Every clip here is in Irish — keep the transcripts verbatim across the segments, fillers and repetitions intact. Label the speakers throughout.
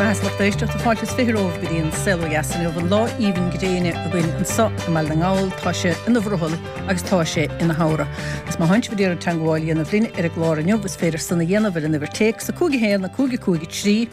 Speaker 1: Go raibh maith lucht éisteachta fáilte is fiche romhaibh go dtí an Saol Ó Dheas inniu an lá aoibhinn gréine againn anseo i mBaile na nGall tá sé ina bhrothall agus tá sé ina shamhradh. Agus má tánn sibh ag iarraidh teagmháil a dhéanamh linn ar an gclár inniu is féidir san a dhéanamh ar an uimhir téacs a cúig a haon a cúig a cúig a trí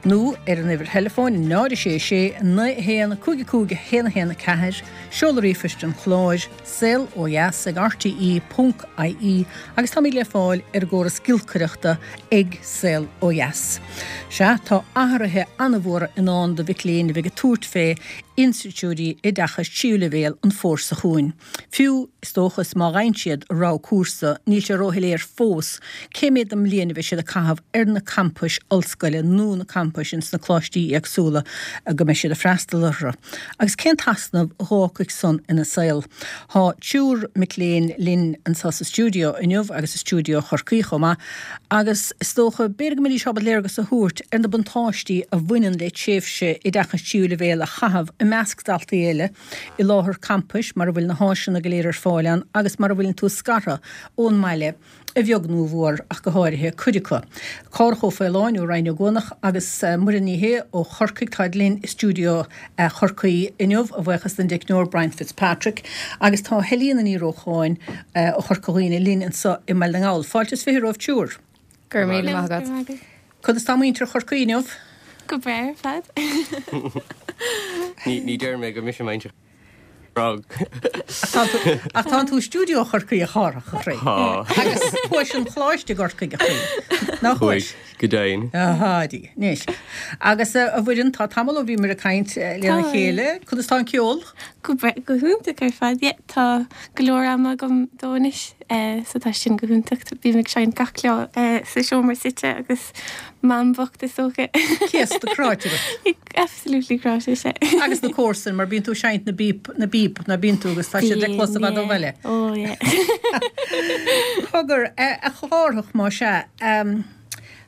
Speaker 1: nó ar an uimhir theileafóin náid a sé sé naoi a haon cúig a cúig a haon a haon a ceathair seoladh ríomhphoist an chláir saol ó dheas ag rte ponc ie agus táimid le fáil ar an gcóras giolcaireachta ag Saol Ó Dheas. Sea, tá athruithe an-mhóra i ndán do mhic léinn a bheidh ag tabhairt fé institiúidí oideachais tríú leibhéal an fómhar seo chugainn. Fiú, is dócha, is má fhaigheann siad rogha cúrsa, níl sé róshoiléir fós cé mhéad den mbliain a bheidh siad ag caitheamh ar na campais ollscoile nó na campais ins na coláistí éagsúla go mbeidh siad ag freastal orthu. Agus cén t-easnamh a dh'fhágfaidh san ina saol? Tá triúr mic léinn linn anseo sa stiúideo inniu agus i stiúideo Chorcaí chomh maith agus is dócha b'fhéidir go mbeidís ábalta léargas a thabhairt ar na buntáistí a bhaineann le tréimhse oideachais tríú leibhéal a chaitheamh i measc daltaí eile i láthair campais mar a bhfuil na háiseanna go léir ar fáil ann agus mar a bhfuileann tú scartha ón mbaile a bheag nó a mhór ach go háirithe cuid acu. Cárthach Ó Faoláin ó Rinn Ó gCuanach agus Muireann Ní Shé ó Chorcaigh táid linn i stiúideo Chorcaí inniu, a bhuíochas don dteicneoir Brian Fitzpatrick agus tá Helena Ní Rócháin ó Chorca Dhuibhne linn anseo i mBaile na nGall. Fáilte is fiche romhaibh triúr.
Speaker 2: Go raibh míle maith agat.
Speaker 1: Conas tá muintir Chorcaí inniu?
Speaker 2: Go breá ar fad.
Speaker 3: Ní ní deir mé go mise muintir Frog.
Speaker 1: Ach tá tú i stiúideo Chorcaí a Chárthach a chroí.
Speaker 3: Tá.
Speaker 1: Agus chuais chun coláiste i gCorcaigh a chroí. Nach chuais?
Speaker 3: Chuaigh, go deimhin.
Speaker 1: Ahá, dí. Anois. Agus a Mhuireann, tá tamall ó bhíomar ag caint lena
Speaker 2: Tá.
Speaker 1: chéile. Conas tá an ceol?
Speaker 2: Go breá, go hiontach ar fad. Yeah, tá go leor ama agam dó anois, so tá sin go hiontach. Bím ag seinnt gach lá sa seomra suite agus mam bocht is dócha.
Speaker 1: Céasta cráite ort.
Speaker 2: Absolutely cráite, sea.
Speaker 1: Agus na comharsain, mar bíonn tú ag seinnt na bpíob, na bpíob, ná bíonn tú agus tá siad le clos i bhfad ó bhaile.
Speaker 2: Oh yeah.
Speaker 1: Cogar, a Chárthach, má sea,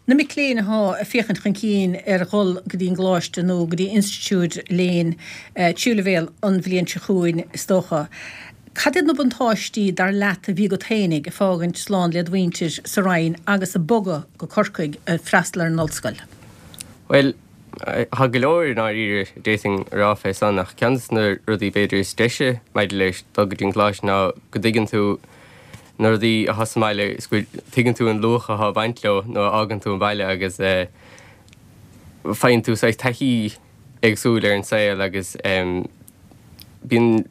Speaker 1: na mic léinn athá ag féachaint chun cinn ar dhul go dtí an gcoláiste nó go dtí institiúid léinn tríú leibhéal an bhliain seo chugainn, is dócha, cad iad na buntáistí dar leat a bhí agat féinig ag fágaint slán led mhuintir sa Rinn agus ag bogadh go Corcaigh ag freastal ar an ollscoil?
Speaker 3: Bhuel, tá go leor i ndáiríre d'fhéadfainn a rá fé san, ach ceann de na rudaí b'fhéidir is deise maidir leis dul go dtí an coláiste ná go dtuigeann tú na rudaí atá sa mbaile is go tuigeann tú an luach atá ag baint leo nuair a fhágann tú an baile agus faigheann tú saghas taithí éagsúil ar an saol agus bíonn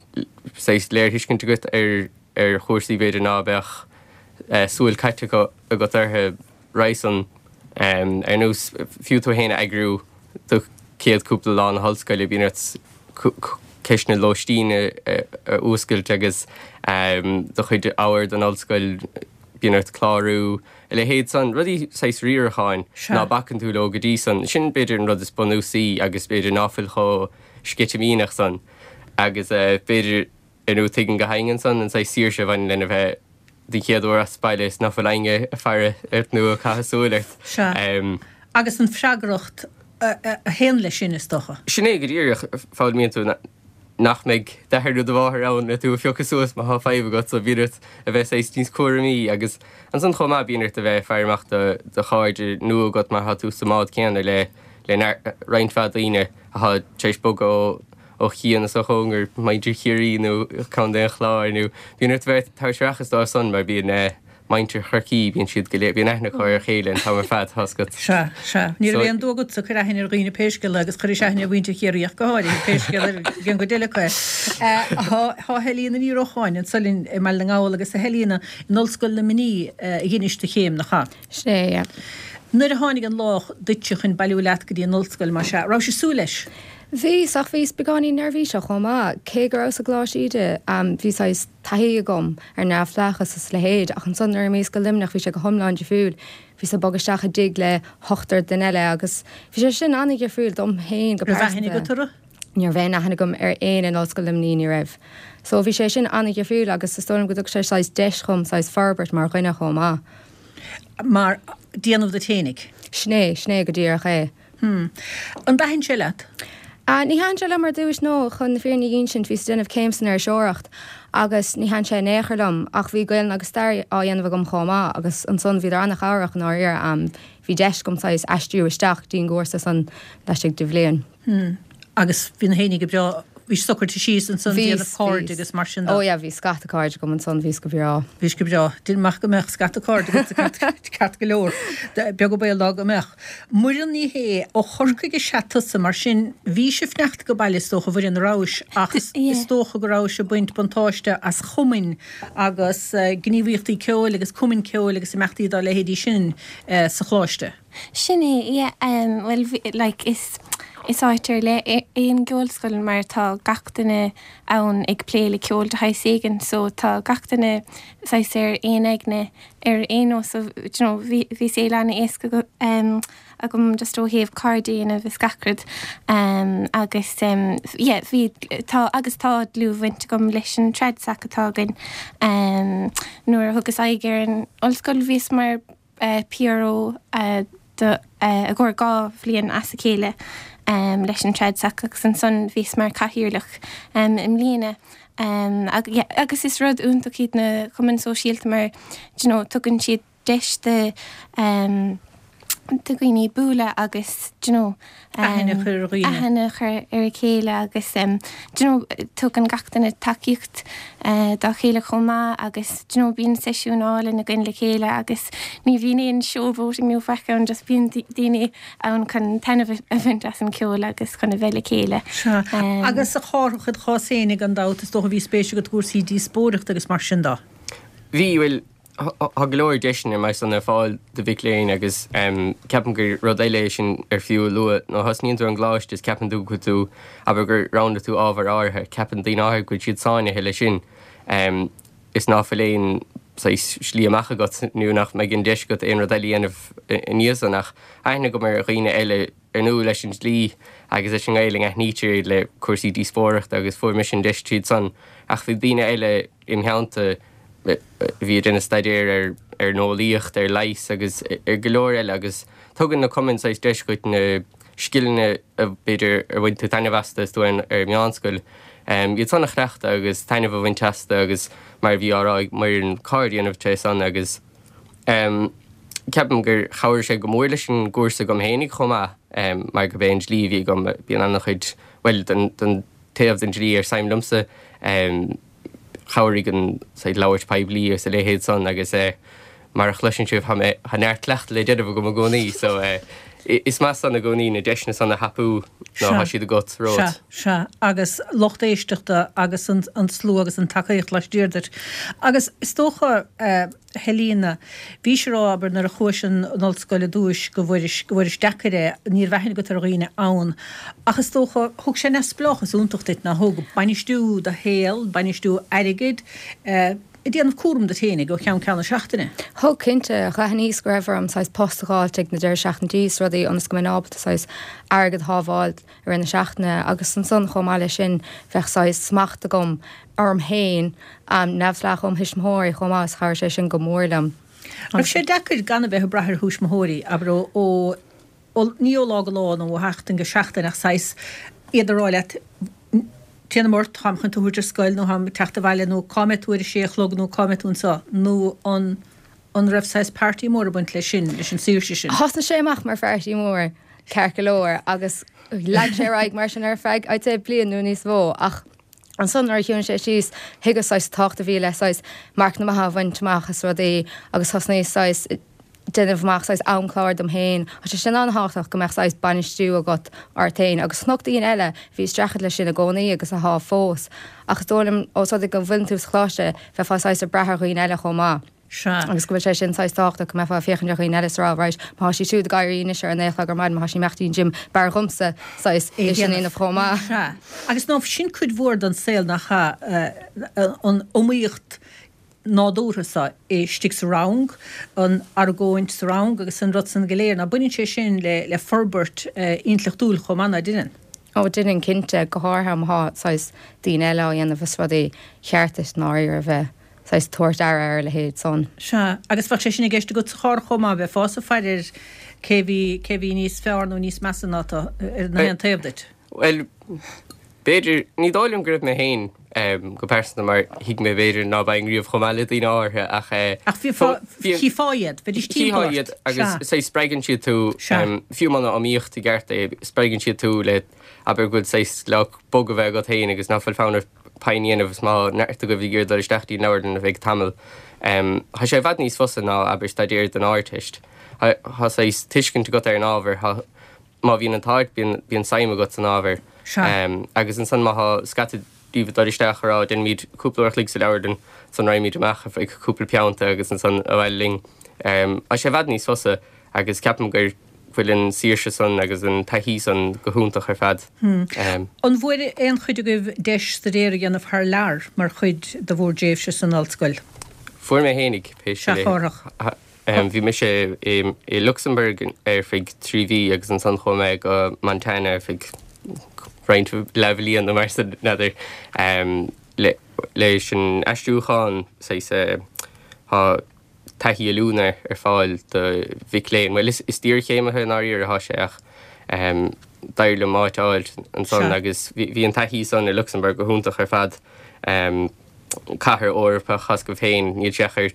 Speaker 3: saghas léirthuiscint agat ar ar chúrsaí b'fhéidir ná beadh súil caite agat orthu roimhe san. Ar nós fiú tú féin a eagrú do chéad cúpla lá na hollscoile, bíonn ort ceist na lóistín a fhuascailt agus do chuid ábhar don ollscoil, bíonn ort clárú, a leithéid san, rudaí saghas riaracháin ná bacann tú leo go dtí san. Sin b'fhéidir an rud is bunúsaí agus b'fhéidir ná fuil chomh sceitimíneach san agus b'fhéidir ar ndóigh tuigim go daingean san an saghas saoirse a bhaineann lena bheith den chéad uair as baile is ná fuil éinne ag faire ort nó ag caitheamh súil ort.
Speaker 1: Sea. Agus an freagracht a théann leis sin, is dócha.
Speaker 3: Sin é go díreach, foghlaimíonn tú nach mbeidh d'athair nó do mháthair ann le tú a phiocadh suas má thá fadhb agat so bíonn ort a bheith saghas níos cúramaí agus ansan chomh maith bíonn ort a bheith ag faire amach do do chairde nua agat mar thá tú sa mbád céanna le le roinnt mhaith daoine athá tar éis bogadh ó ó chian is ó chóngar, muintir Chiarraí nó Contae an Chláir nó bíonn ort a bheith ag tabhairt aireachas dóibh san mar bíonn muintir Chorcaí, bíonn siad go léir, bíonn aithne acu ar a chéile an t-am ar fad, tá's agat.
Speaker 1: Sea, sea. Ní raibh aon dua agatsa cur aithne ar dhaoine pé scéal é agus chuiris aithne ar mhuintir Chiarraí ach go háirithe, pé scéal ar cén gcuid eile acu é. Tá Helena Ní Rócháin anso linn i mBaile na nGall agus a Helena, in Ollscoil Luimnigh a dheinis do chéim, nach ea?
Speaker 4: Sin é, yeah.
Speaker 1: Nuair a tháinig an lá duitse chun bailiú leat go dtí an ollscoil, mar sea, raibh ag súil leis?
Speaker 4: Bhíos, ach bhíos beagáinín neirbhíseach chomh maith. Cé go rabhas i gColáiste Íde, bhí saghas taithí agam ar neamhspleáchas is a leithéid, ach ansan nuair a imíos go Luimneach bhí sé go hiomlán difriúil. Bhíos ag bogadh isteach i dtigh le hochtar duine eile agus bhí sé sin an-dhifriúil dom féin go
Speaker 1: Raibh aithne
Speaker 4: pearsanta.
Speaker 1: agat orthu?
Speaker 4: Ní raibh aon aithne agam ar éinne in Ollscoil Luimnigh, ní raibh. So bhí sé sin an-dhifriúil agus is dóigh liom go dtug sé saghas deis dhom saghas forbairt mar dhuine chomh maith.
Speaker 1: Mar déanamh duit fhéinig.
Speaker 4: Sin é, sin é go díreach é.
Speaker 1: Hmm. An dtaithin sé leat?
Speaker 4: Uh, ní thaitin sé liom ar dtús nó chun na fírinne a insint bhíos ag déanamh céim san iriseoireacht agus ní thaitin sé in aon chor liom ach bhí Gaeilge agus stair á dhéanamh agam chomh maith agus ansan bhíodar an-chabhrach in áiríre um, bhí deis agam saghas aistriú isteach dtí an gcúrsa san laistigh de bhliain.
Speaker 1: Hmm. Agus bhí na héine go breá bhí socraithe síos ansan déanamh cairde agus mar sin de.
Speaker 4: Ó yeah, bhí scata cairde agam ansan bhíos go breá.
Speaker 1: Bhís go breá. Déanaim amach go mbeadh scata cairde agat ceart go leor. Beag an baol dá go mbeadh. Muireann Ní Shé ó Chorcaigh is ea tusa mar sin bhí sibh fanacht go baile is dócha Mhuireann a rabhais ach is dócha go rabhais ag baint buntáiste as chumainn agus gníomhaíochtaí ceoil agus cumainn ceoil agus imeachtaí dá leithéidí sin sa choláiste.
Speaker 2: Sin é, yeah, um, well, like, is Is áit ar leith é an gceolscoil mar tá gach duine ann ag plé le ceol de shaghas éigin so tá gach duine saghas ar aon aigne ar aon nós so you know bhí bhí saol an-éasca um, agam just ó thaobh cairde a dhéanamh is gach rud um, agus um, yeah, bhí tá agus tá dlúthbhaint agam leis an Tradsac atá againn um, nuair a thugas aghaidh ar an ollscoil bhíos mar uh, PRO uh, do i gcomhair dhá bhliain as a chéile um, leis an Tradsac agus ansan bhíos mar cathaoirleach um, i mbliana. Um, ag, yeah, agus is rud iontach iad na cumainn sóisialta mar you know, tugann siad deis de um, do dhaoine bualadh agus you know,
Speaker 1: aithne a chur ar dhaoine.
Speaker 2: aithne a chur ar a chéile agus um, you know, tugann gach duine tacaíocht uh, dá chéile chomh maith agus you know, bíonn seisiún álainn againn le chéile agus ní bhíonn aon showboating nó faic ann just bíonn daoine ann chun taitneamh a bhaint as an ceol agus chun a bheith le chéile.
Speaker 1: Sea. Um, agus a Chárthach i do chás féinig gan dabht is dócha bhí spéis agat i gcúrsaí díospóireachta agus mar sin de.
Speaker 3: Bhí bhfuil Tá go leor deiseanna mar san ar fáil do mhic léinn agus ceapaim gur rud eile é sin ar fiú a lua. Nuair a thosnaíonn tú ar an gcoláiste is ceapann tú go bhfuil tú, abair gur roghnaigh tú ábhar áirithe, ceapann daoine áirithe go bhfuil siad sáinnithe leis sin is ná fuil aon saghas slí amach agat nó nach mbeidh an deis agat aon rud eile a dhéanamh i ndiaidh san ach aithne agam ar dhaoine eile ar ndóigh leis an dlí agus leis an nGaelainn aithnítear iad le cúrsaí díospóireachta agus fuair mise an deis tríd san ach bhí daoine eile im theannta bhí ag déanamh staidéir ar ar an eolaíocht, ar leigheas agus ar go leor eile agus tugann na cumainn saghas deis dhuit na scileanna a b'fhéidir ar bhain tú taitneamh astu is tú ar ar meánscoil, iad san a chleachtadh agus taitneamh a bhaint astu agus mar a bhí á rá ag Muireann cairde a dhéanamh tré san agus ceapaim gur chabhraigh sé go mór leis an gcúrsa agam fhéinig chomh maith mar gurb é an dlí a bhí agam, bíonn an-chuid, bhuel don don taobh den dlí ar suim liomsa. Chabhraigh an saghas labhairt poiblí agus a leithéid san agus mar a chloiseann sibh tá mé, tá neart cleachtadh le déanamh agam i gcónaí so is maith san i gcónaí na deiseanna san a thapú nó tá siad agat
Speaker 1: romhat. Sea, sea, agus lucht éisteachta agus an slua agus an tacaíocht laistiar duit. Agus is dócha, Helena, bhís ag rá, abair, nuair a chuais chun an ollscoil ar dtúis go bhfuairis, go bhfuairis deacair é, ní raibh aithne agat ar dhaoine ann. Ach is dócha, thug sé neamhspleáchas iontach duit, nár thug? Bainistiú do shaoil, bainistiú airgid, ag déanamh cúram duit fhéinig ó cheann ceann na seachtaine.
Speaker 4: Thug, cinnte. D'aithníos go raibh orm saghas post a dh'fháilt ag na deireadh seachtaintí is rudaí ionas go mbeinn ábalta saghas airgead a shábháil i rith na seachtaine agus ansan chomh maith leis sin bheadh saghas smacht agam orm féin, neamhspleách óm thuismitheoirí chomh maith is chabhraigh sé sin go mór liom.
Speaker 1: Raibh sé deacair gan a bheith ag brath ar thuismitheoirí, abair, ó, ó, ní ó lá go lá nó ó sheachtain go seachtain ach saghas iad a rá leat téanam ort, táim chun tú a thabhairt ar scoil nó táim ag teacht abhaile nó cá mbeidh tú ar a sé a chlog nó cá mbeidh tú anseo nó an an raibh saghas party mór ag baint leis sin, leis an saoirse sin?
Speaker 4: Thosnaigh sé amach mar pharty mór, ceart go leor, agus lean sé ar aghaidh mar sin ar feadh, I'd say, bliain nó níos mó ach Ansan nuair a chiúnaigh sé síos, thuigeas saghas tábhacht a bhí le saghas marcanna maithe a bhaint amach is rudaí agus thosnaíos saghas déanamh amach saghas amchlár dom féin. Tá sé sin an-tábhachtach go mbeadh saghas bainistiú agat ort féin agus chonac daoine eile a bhí ag streachailt leis sin i gcónaí agus atá fós. Ach is dóigh liom ós rud é go bhfuileann tú sa choláiste, bheifeá saghas ag brath ar dhaoine eile chomh maith.
Speaker 1: Sea.
Speaker 4: Agus go bhfuil sé sin saghas tábhachtach go mbeifeá ag féachaint ar dhaoine eile is a rá right, má tá sí siúd ag éirí anois ar a naoi a chlog ar maidin, má tá sí ag imeacht dtí'n gym, b'fhearr dhomsa saghas
Speaker 1: É
Speaker 4: é sin a
Speaker 1: dhéanamh.
Speaker 4: dhéanamh chomh maith.
Speaker 1: Sea. Agus nó sin cuid mhór den saol nach ea, an iomaíocht nádúrtha so istigh sa rang, an argóint sa rang agus an rud san go léir, ná baineann sé sin le le forbairt intleachtúil chomh maith, ná deineann?
Speaker 4: Ó deineann cinnte, go háirithe má thá saghas daoine eile á dhéanamh is rudaí cheart duit i ndáiríre a bheith saghas tabhairt aire ar a leithéid san.
Speaker 1: Sea, agus bheadh sé sin i gceist agat a Chárthaigh chomh maith, bheifeása ag faire ar cé bhí, cé bhí níos fearr nó níos measa ná tú ar na haon taobh duit.
Speaker 3: Well, b'fhéidir, ní dóigh liom go raibh mé féin go pearsanta mar thuig mé b'fhéidir ná beinn riamh chomh maith le daoine áirithe ach
Speaker 1: Ach chífeá iad, bheidís timpeall ort.
Speaker 3: Chífeá iad agus saghas spreagann siad tú, fiú muna iomaíocht i gceart é, spreagann siad tú le abair go bhfuil saghas lá bog a bheith agat féin agus ná fuil fonn ort pingin a dhéanamh is má neart agaibh ag iarraidh dul isteach dtí an leabharlann ar feadh tamaill. Tá sé i bhfad níos fusa ná abair staidéar don Ardteist. Tá saghas tuiscint agat ar an ábhar, tá má bhíonn an t-ádh ort bíonn bíonn suim agat san ábhar.
Speaker 1: Sea.
Speaker 3: Agus ansan má thá scata díobh ag dul isteach a rá déanfaimid cúpla uair a chloig sa leabharlann, ansan raghaimid amach ar feadh cúpla pionta agus ansan abhaile linn. Tá sé i bhfad níos fusa agus ceapaim gur bhfuil an saoirse san agus an taithí san go hiontach ar fad.
Speaker 1: An bhfuair aon chuid agaibh deis staidéar a dhéanamh thar lear mar chuid de bhur dtréimhse san ollscoil?
Speaker 3: Fuair mé fhéinig, pé
Speaker 1: Sea,
Speaker 3: scéal é.
Speaker 1: a Chárthach.
Speaker 3: Bhí mise i Lucsamburg ar feadh trí mhí agus ansan chuaigh mé go Montana ar feadh roinnt leathbhliain nó mar sin, n'fheadar. Leis an aistriúchán, saghas, tá taithí oiliúna ar fáil do mhic léinn. Bhuel, is d'iarchéimithe i ndáiríre atá sé ach d'éirigh liom áit a fháil ansan agus bhí an taithí san i Lucsamburg go hiontach ar fad. Cathair Eorpach as go féin, níl sé ach ar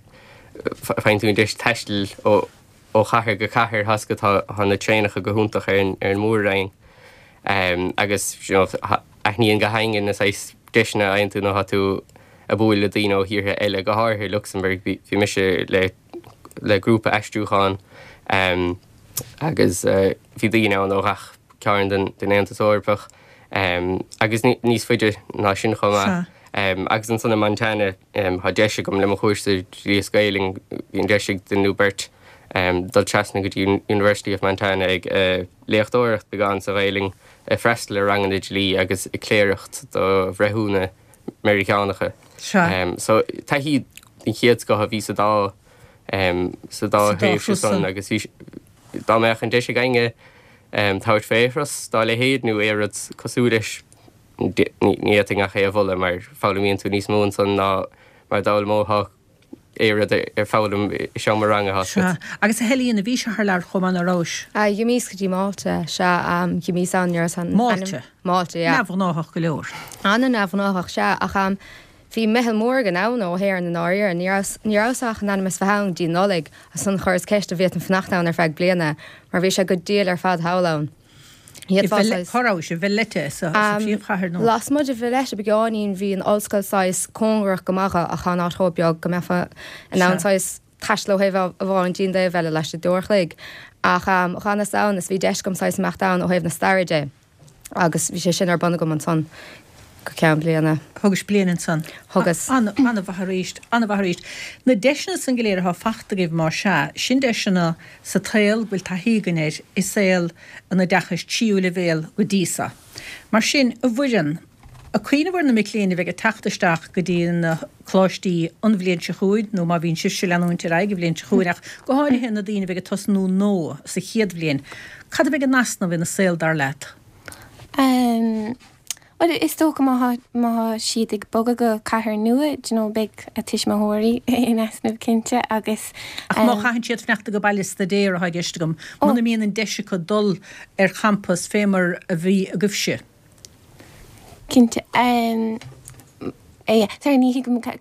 Speaker 3: faigheann tú an deis taisteal ó ó chathair go cathair as go tá na traenacha go hiontach ar an ar an mór-roinn. Agus you know aithníonn gach éinne na saghas deiseanna a fhaigheann tú nuair atá tú ag bualadh le daoine ó thíortha eile, go háirithe i Lucsamburg. Bhí bhí mise le le grúpa aistriúcháin agus bhí daoine ann ó gach cearn den den Aontas Eorpach agus níos faide ná sin chomh maith. Agus ansan i Montana tá deis agam le mo chúrsa Dlí is Gaelainn, bhí an deis ag duine nó beirt dul trasna go dtí University of Montana ag léachtóireacht beagán sa Ghaelainn, ag freastal ar ranganna dlí agus ag cléireacht do bhreithiúna Meiriceánacha. So taithí den chéad scoth a bhí sa dá sa dá thréimhse san agus bhí dá mbeadh an deis ag éinne tabhairt faoi thuras dá leithéid nó aon rud cosúil leis, ní fhéadfainn ach é a mholadh mar foghlaimíonn tú níos mó ansan ná mar a d'fhoghlaimeofá aon rud ar foghlaim i seomra ranga, tá
Speaker 1: Sea. Agus a Helena, bhís thar lear chomh maith, ná rabhais?
Speaker 4: D'imíos go dtí Málta, sea. D'imíos ann nuair a.
Speaker 1: Málta?
Speaker 4: Málta, yeah.
Speaker 1: Neamhghnáthach go leor.
Speaker 4: An-neamhghnáthach, sea. Ach bhí meitheal mór againn ann ó hÉirinn i ndáiríre. Ní rabhas, ní rabhas ach in ainm is bheith ann go dtí Nollaig, ansan chuireas ceist an bhféadfainn fanacht ann ar feadh bliana, mar bhí sé go diail ar fad thall ann.
Speaker 1: I Valletta, cá rabhais? I Valletta sa phríomhchathair nó?
Speaker 4: Lasmuigh de Valletta beagáinín bhí an ollscoil saghas cóngarach go maith dho ach tá an áit chomh beag go mbeifeá in ann saghas taisteal ó thaobh amháin dtí an taobh eile laistigh d'uair a chloig. Ach dh'fhanas ann is bhí deis agam saghas imeacht ann ó thaobh na staire de agus bhí sé sin ar bun agam ansan go ceann bliana.
Speaker 1: Thugais bliain ansan.
Speaker 4: Thugas.
Speaker 1: An-mhaith arís, an-mhaith arís. Na deiseanna san go léir atá fachta agaibh más ea, sin deiseanna sa tsaol go bhfuil taithí againn air i saol an oideachais tríú leibhéal go dtí so. Mar sin, a Mhuireann, ag cuimhneamh ar na mic léinn a bheidh ag teacht isteach go dtí na coláistí an bhliain seo chugainn, nó má bhíonn sibhse ag leanúint ar aghaidh an bhliain seo chugainn, ach go háirithe na daoine a bheidh ag tosnú nua sa chéad bhliain, cad a bheidh in easnamh ina saol dar leat?
Speaker 2: Bhuel, is dócha má tá, má tá siad ag bogadh go cathair nua, do you know, beidh a tuismitheoirí in easnamh cinnte agus.
Speaker 1: Ach má chaitheann siad fanacht ag baile ag staidéar atá i gceist agam, muna mbíonn an deis acu dul ar champas fé mar a bhí agaibhse.
Speaker 2: Cinnte. Yeah, sorry, ní thuigim cad.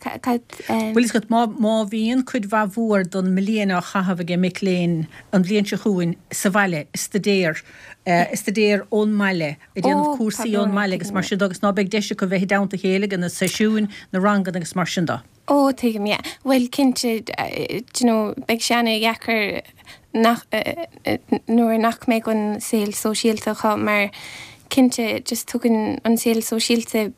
Speaker 1: Bhfuil fhios agat, má, má bhíonn cuid mhaith mhór den mbliain á chaitheamh ag mic léinn an bhliain seo chugainn sa bhaile, ag staidéar, ag staidéar ón mbaile, ag déanamh cúrsaí ón mbaile agus mar sin de agus ná beidh deis acu bheith i dteannta a chéile ag na seisiúin, na ranganna agus mar sin de.
Speaker 2: Ó, tuigim, yeah. Bhuel, cinnte, do you know, beidh sé ana-dheacair nach, nuair nach mbeidh an saol sóisialta acu mar cinnte just tugann an saol sóisialta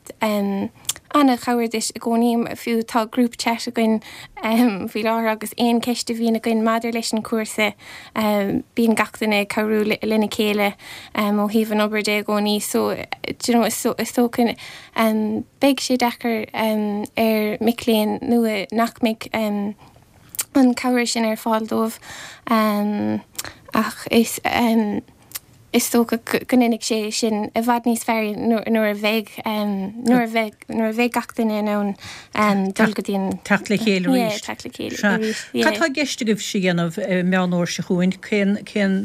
Speaker 2: an-chabhair duit i gcónaí, fiú tá group chat againn faoi láthair agus aon ceist a bhíonn againn maidir leis an cúrsa bíonn gach duine ag cabhrú lena chéile ó thaobh an obair de i gcónaí so do you know is dócha beidh sé deacair ar mic léinn nua nach mbeidh an cabhair sin ar fáil dóibh ach is is dócha go ndéanfaidh sé sin i bhfad níos fearr nuair a bheidh nuair a bheidh nuair a bheidh gach duine in ann dul go dtí an
Speaker 1: Teacht le chéile
Speaker 2: Yeah,
Speaker 1: arís.
Speaker 2: teacht le chéile
Speaker 1: Sea.
Speaker 2: arís,
Speaker 1: Cad
Speaker 2: yeah.
Speaker 1: tá i gceist agaibhse a dhéanamh i Meán Fhómhair seo chugainn? Cén cén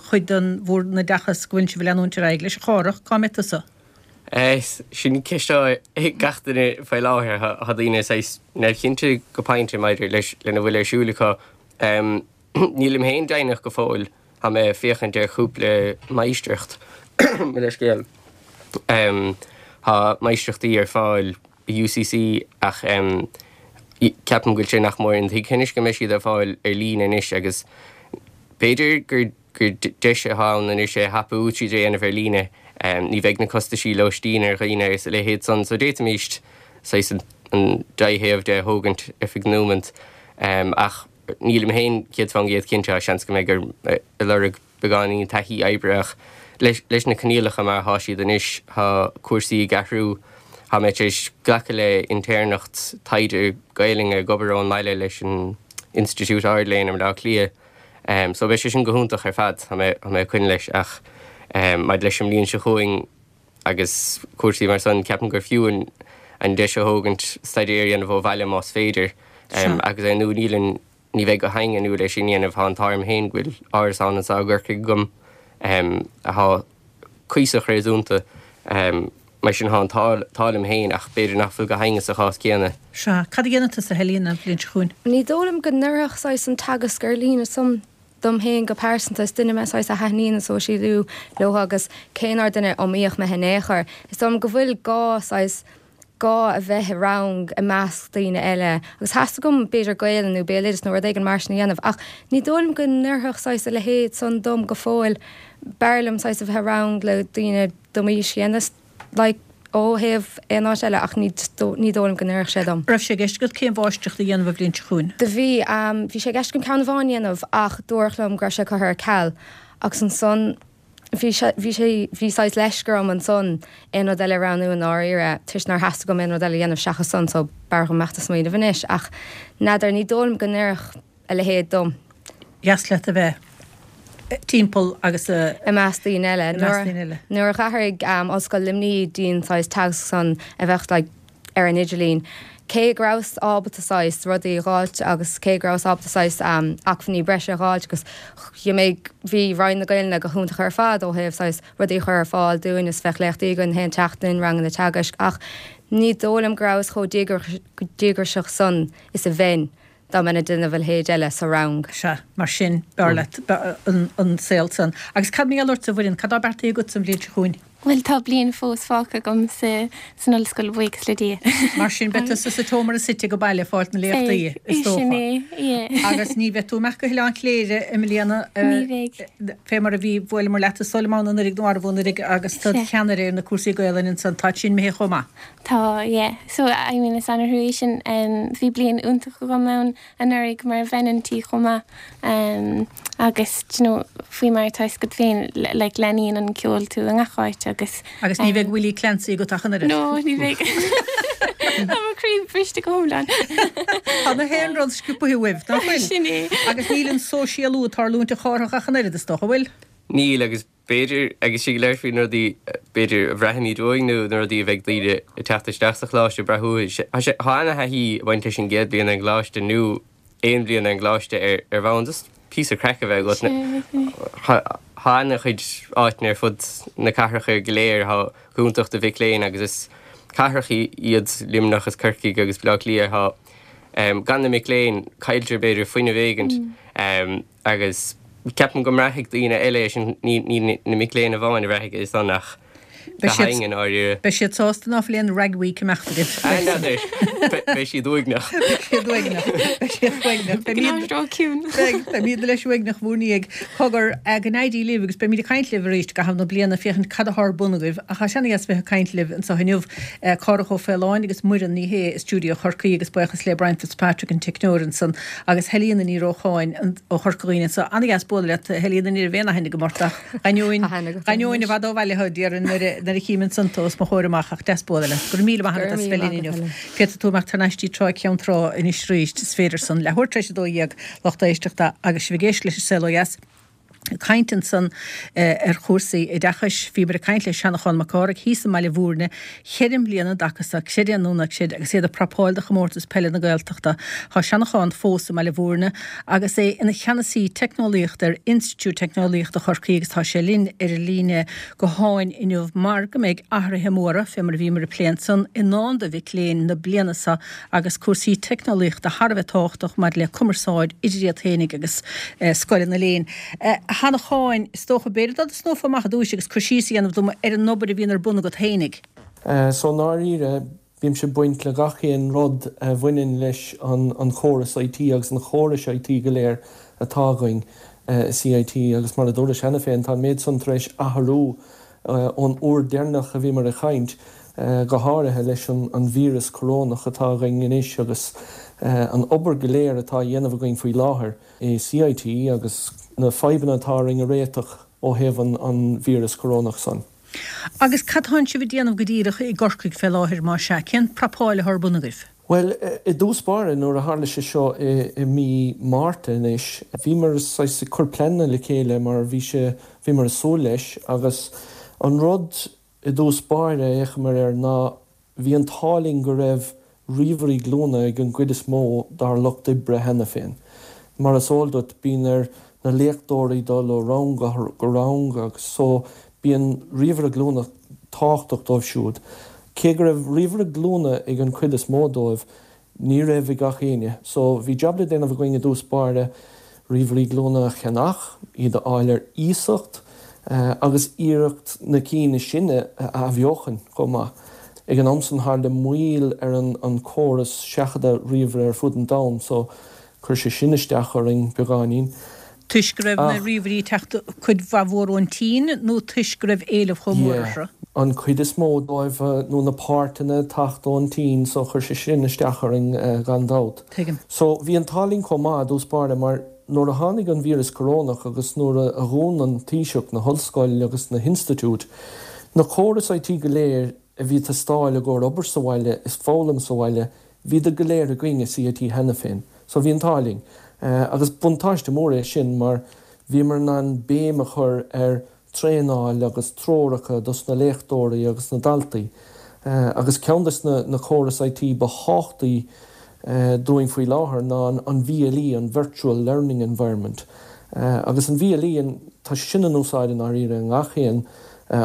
Speaker 1: chuid den bhur n-oideachas go bhfuil sibh ag leanúint ar aghaidh leis. A Chárthach, cá mbeidh tusa?
Speaker 3: Sin ceist ag gach duine faoi láthair. Tá daoine saghas neamhchinnte go pointe maidir leis lena bhfuil ar siúl acu. Nílim féin deimhneach go fóill. Tá mé ag féachaint ar chúpla máistreacht, mo leithscéal. Tá máistreachtaí ar fáil i UCC ach ceapaim go bhfuil sé nach mór intuigthe anois go mbeidh siad ar fáil ar líne anois agus b'fhéidir gur gur deis atá ann anois é a thapú tríd é a dhéanamh ar líne. Ní bheidh na costaisí lóistín ar dhaoine agus a leithéid san so d'fhéadfaimíst saghas an dea-thaobh de a thógaint ar feadh nóimint. Ach nílim féin céad fán gcéad cinnte, seans go mbeidh orm ag lorg beagáinín taithí oibre ach leis na coinníollacha mar atá siad anois, tá cúrsaí ag athrú, tá mé tar éis glacadh le intéirneacht taighde Gaelainne ag obair ón mbaile leis an Institiúid Ard-Léinn i mBaile Átha Cliath. So beidh sé sin go hiontach ar fad, tá mé tá mé ag coinne leis ach maidir leis an mbliain seo chugainn agus cúrsaí mar san, ceapaim gur fiú an an deis a thógaint staidéar a dhéanamh ó bhaile más féidir. Agus ar ndóigh níl an ní bheidh gach éinne inniúil é sin a dhéanamh, tá an t-ádh orm féin go bhfuil árasán anseo i gCorcaigh agam atá cuíosach réasúnta. Mar sin, tá an t-ádh liom féin ach b'fhéidir nach bhfuil gach éinne sa chás céanna.
Speaker 1: Sea. Cad a dhéanfaidh tusa, Helena, an bhliain seo chugainn?
Speaker 4: Ní dóigh liom go n-oirfeadh saghas an teagasc ar líne san dom féin go pearsanta. Is duine mé saghas a thaitníonn an sóisialú leo agus cé nár duine iomaíoch mé in aon chor, is dóigh liom go bhfuil gá saghas gá a bheith i rang i measc daoine eile agus theastaigh uaim b'fhéidir Gaelainn nó Béaloideas nó rud éigin mar sin a dhéanamh ach ní dóigh liom go n-oirfeadh saghas a leithéid san dom go fóill. B'fhearr liom saghas a bheith i rang le daoine do m'aois chéanna like ó thaobh aon áit eile ach ní ní dóigh liom go n-oirfeadh sé dom.
Speaker 1: Raibh sé i gceist agat céim mháistreachta a dhéanamh an bhliain seo chugainn?
Speaker 4: Do bhí. Bhí sé i gceist agam ceann amháin a dhéanamh ach dúradh liom go raibh sé curtha ar ceal agus ansan bhí sé bhí sé bhí saghas leisce orm ansan aon rud eile a roghnú i ndáiríre toisc nár theastaigh uaim aon rud eile a dhéanamh seachas san so b'fhearr dhom imeacht ag smaoineamh anois ach n'fheadar ní dóigh liom go n-oirfeadh a leithéid dom.
Speaker 1: Dheas leat a bheith timpeall agus
Speaker 4: i measc daoine eile. Nuair a d'athraigh Ollscoil Luimnigh dtí'n saghas teagasc san a bheadh like ar an idirlíon, cé go rabhas ábalta saghas rudaí a dh'fháilt agus cé go rabhas ábalta saghas acmhainní breise a dh'fháilt agus bhí Roinn na Gaelainne go hiontach ar fad ó thaobh saghas rudaí a chur ar fáil dúinn is bheadh léachtaí againn chaon tseachtain, ranganna teagaisc ach ní dóigh liom go rabhas chomh díograiseach san is a bheinn. dá mbeinn ag déanamh a leithéid eile sa rang.
Speaker 1: Sea, mar sin, b'fhearr leat an saol san. Agus cad mar gheall ortsa, a Mhuireann, cad tá beartaithe agat an bhliain seo chugainn?
Speaker 2: Bhuel, tá bliain fós fágtha agam sa san ollscoil, buíochas le Dia.
Speaker 1: Mar sin, beidh tusa sa tseomra suite ag baile ag fáilt na léachtaí, is dócha.
Speaker 2: Sin é, yeah.
Speaker 1: Agus ní bheidh tú ag imeacht go hOileán Chléire i mbliana,
Speaker 2: Ní bheidh.
Speaker 1: fé mar a bhí, bhuaileamar leat is dóigh liom ann anuraidh nó arbh anuraidh agus tú i do cheannaire ar na cúrsaí Gaelainne ansan, tá sin imithe chomh maith.
Speaker 2: Tá, yeah. So, I mean, is an-trua é sin. Bhí bliain iontach agam ann anuraidh mar bhean an tí chomh maith. Agus, do you know, faoi mar atá a fhios agat féin, like, leanaíonn an ceol tú i ngach áit agus.
Speaker 1: Agus ní bheidh Willie Clancy agat ach an oiread.
Speaker 2: No, ní bheidh. Tá mo chroí briste go hiomlán.
Speaker 1: Tá na haon rud sciobtha uaibh, nach bhfuil?
Speaker 2: Sin é.
Speaker 1: Agus níl an sóisialú ag tarlúint a Chárthach ach an oiread, is dócha, bhfuil?
Speaker 3: Níl, agus B'fhéidir, agus sinn ag labhairt faoi na rudaí, b'fhéidir, a bhraithimid uainn nó na rudaí a bheidh daoine ag teacht isteach sa choláiste ag brath uathu, tá sé, tá ana-thaithí ag baint leis an gcéad bhliain ar an gcoláiste nó aon bhliain ar an gcoláiste ar, ar bhonn just píosa craic a bheith agat. Tá, tá ana-chuid áiteanna ar fud na cathracha go léir atá go hiontach do mhic léinn agus is cathracha iad Luimneach is Corcaigh agus Baile Átha Cliath atá, gan na mic léinn, cailltear b'fhéidir fuinneamh éigint. Agus ceapaim go mbraithfidh daoine eile é sin, ní na mic léinn amháin a bhraithfidh é san ach gach éinne i ndáiríre.
Speaker 1: Beidh siad sásta ná fuil aon Rag Week ag imeacht agaibh.
Speaker 3: N'fheadar. Beidh siad uaigneach.
Speaker 1: Beidh siad uaigneach. Beidh siad uaigneach.
Speaker 2: Beidh an áit ró-chiúin.
Speaker 1: Beidh. Beimid leis uaigneach bhur ndiaidh. Cogar, go n-éirí libh agus beimid ag caint libh arís i gcaitheamh na bliana féachaint cad atá ar bun agaibh. Ach tá sé ana-dheas bheith ag caint libh anseo inniu. Cárthach Ó Faoláin agus Muireann Ní Shé i stiúideo Chorcaí agus buíochas le Brian Fitzpatrick an teicneoir ansan. Agus Helena Ní Rócháin ó Chorca Dhuibhne anseo. Ana-dheas bualadh leat, a Helena, ní raibh aon aithne agam ort ach d'ainneoin, d'ainneoin i bhfad ó bhaile thú, déarfainn, nuair a, nuair a chím ansan tú os mo chomhair amach ach deas bualadh leat. Go raibh míle maith agat as bheith linn inniu. Féadfaidh tú imeacht thar n-ais dtí Trá Ceann Trá anois arís, is féidir san. Leathuair tar éis a dó dhéag, lucht éisteachta, agus sibh ag éisteacht leis an Saol Ó Dheas. Caint ansan ar chúrsaí oideachais. Bhíomar ag caint le Seanchán Mac Cárthaigh thíos i mBaile Bhúirne cheithre bliana an dtaca seo, creid é nó ná creid, agus iad ag prapáil do chomórtas peile na Gaeltachta. Tá Seanchán fós i mBaile Bhúirne agus é ina cheannasaí teicneolaíochta ar Institiúid Teicneolaíochta Chorcaí agus tá sé linn ar an líne gutháin inniu mar go mbeidh athruithe móra, fé mar a bhíomar ag plé ansan, i ndán do mhic léinn na bliana seo agus cúrsaí teicneolaíochta thar a bheith tábhachtach maidir le cumarsáid idir iad féinig agus scoileanna léinn. A Sheanacháin, is dócha, b'fhéidir dá dtosnófá amach ar dtúis agus cur síos a dhéanamh dom ar an obair a bhíonn ar bun agat fhéinig.
Speaker 5: So i ndáiríre, bímse ag baint le gach aon rud a bhaineann leis an chóras I T agus na córais I T go léir atá againn i C I T agus mar a dúras cheana féin, tá an méid san tar éis athrú ón uair deireanach a bhíomar ag caint, go háirithe leis an víreas corónach atá againn anois agus an obair go léir atá á dhéanamh againn faoi láthair i C I T agus na fadhbanna atá orainn a réiteach ó thaobh an víreas corónach san.
Speaker 1: Agus cad tánn sibh ag déanamh go díreach i gCorcaigh fé láthair, más ea? Cén prapáil atá ar bun agaibh?
Speaker 5: Bhuel, i dtús báire, nuair a tharla sé seo i mí Márta anois, bhíomar saghas ag cur pleananna le chéile mar bhí sé, bhíomar ag súil leis agus an rud i dtús báire a fhéachamar air ná bhí an t-ádh linn go raibh ríomhairí glúine ag an gcuid is mó dár lucht oibre cheana féin. Mar is eol duit, bíonn ar na léachtóirí dul ó rang go rang agus so bíonn ríomhaire glúine tábhachtach dóibh siúd. Cé go raibh ríomhaire glúine ag an chuid is mó dóibh, ní raibh ag gach éinne. So bhí jab le déanamh againn i dtús báire, ríomhairí glúine a cheannach, iad a fháil ar iasacht agus iarracht na cinn is sine a athbheochan chomh maith. Ag an am san tharla moill ar an córas seachadta ríomhaire ar fud an domhain so chuir sé sin isteach orainn beagáinín.
Speaker 1: Toisc go raibh na ríomhairí ag teacht cuid mhaith mhór ón tSín nó toisc go raibh éileamh chomh mór orthu?
Speaker 5: An chuid is mó dóibh nó na páirteanna ag teacht ón tSín so chuir sé sin isteach orainn gan dabht.
Speaker 1: Tuigim.
Speaker 5: So bhí an t-ádh linn chomh maith i dtús báire mar nuair a tháinig an víreas corónach agus nuair a dhún an Taoiseach na hollscoil agus na hinstitiúid, na córais I T go léir a bhí ag teastáil i gcomhair obair sa bhaile is foghlaim sa bhaile, bhíodar go léir againn i C I T cheana féin. So bhí an t-ádh linn. Agus buntáiste mór é sin mar bhíomar in ann béim a chur ar traenáil agus treoracha dos na léachtóirí agus na daltaí. Agus ceann des na córais I T ba thábhachtaí dúinn faoi láthair ná an V L E, an Virtual Learning Environment. Agus an V L E, tá sé sin in úsáid i ndáiríre i ngach aon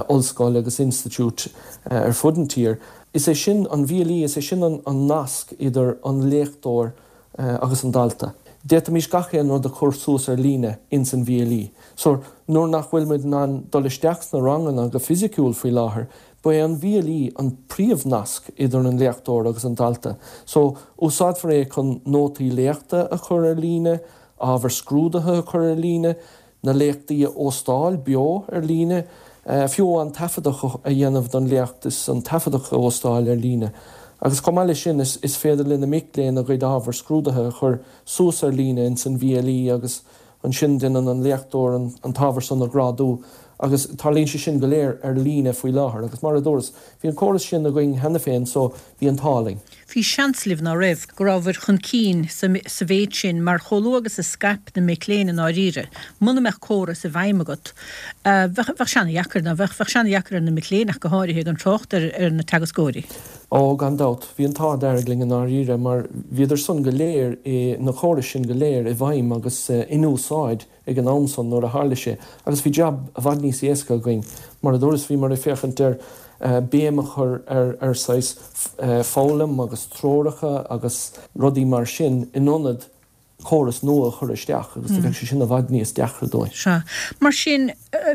Speaker 5: ollscoil agus institiúid ar fud an tír. Is é sin an V L E, is é sin an nasc idir an léachtóir agus an dalta. D'fhéadfaimis gach aon rud a chur suas ar líne ins an V L E. So, nuair nach bhfuil muid in ann dul isteach sna ranganna go fisiciúil faoi láthair, ba é an V L E an príomhnasc idir an léachtóir agus an dalta. So, úsáidfear é chun nótaí léachta a chur ar líne, ábhar scrúdaithe a chur ar líne, na léachtaí a óstáil beo ar líne, fiú an taifeadadh a dhéanamh don léacht is an taifeadadh a óstáil ar líne. Agus chomh maith leis sin, is féidir le na mic léinn a gcuid ábhar scrúdaithe a chur suas ar líne ins an V L E agus ansin déanann an léachtóir an t-ábhar san a ghrádú agus tarlaíonn sé sin go léir ar líne faoi láthair. Agus mar a dúras, bhí an córas sin againn cheana féin so bhí an t-ádh linn.
Speaker 1: Bhí seans libh, ná raibh, go rabhabhair chun cinn sa mhéid sin mar chomh luath agus a scaip na mic léinn i ndáiríre, muna mbeadh córas i bhfeidhm agat, bheadh, bheadh sé ana-dheacair, ná bheadh, bheadh sé ana-dheacair ar na mic léinn ach go háirithe, gan trácht ar, ar na teagascóirí.
Speaker 5: Ó, gan dabht, bhí an t-ádh dearg linn i ndáiríre mar bhíodar san go léir i, na córais sin go léir i bhfeidhm agus in úsáid ag an am san nuair a tharla sé agus bhí jab i bhfad níos éasca againn. Mar a dúras, bhíomar ag féachaint ar béim a chur ar ar saghas foghlaim agus treoracha agus rudaí mar sin in ionad córas nua a chur isteach agus do bheadh sé sin i bhfad níos deacra dúinn.
Speaker 1: Sea. Mar sin,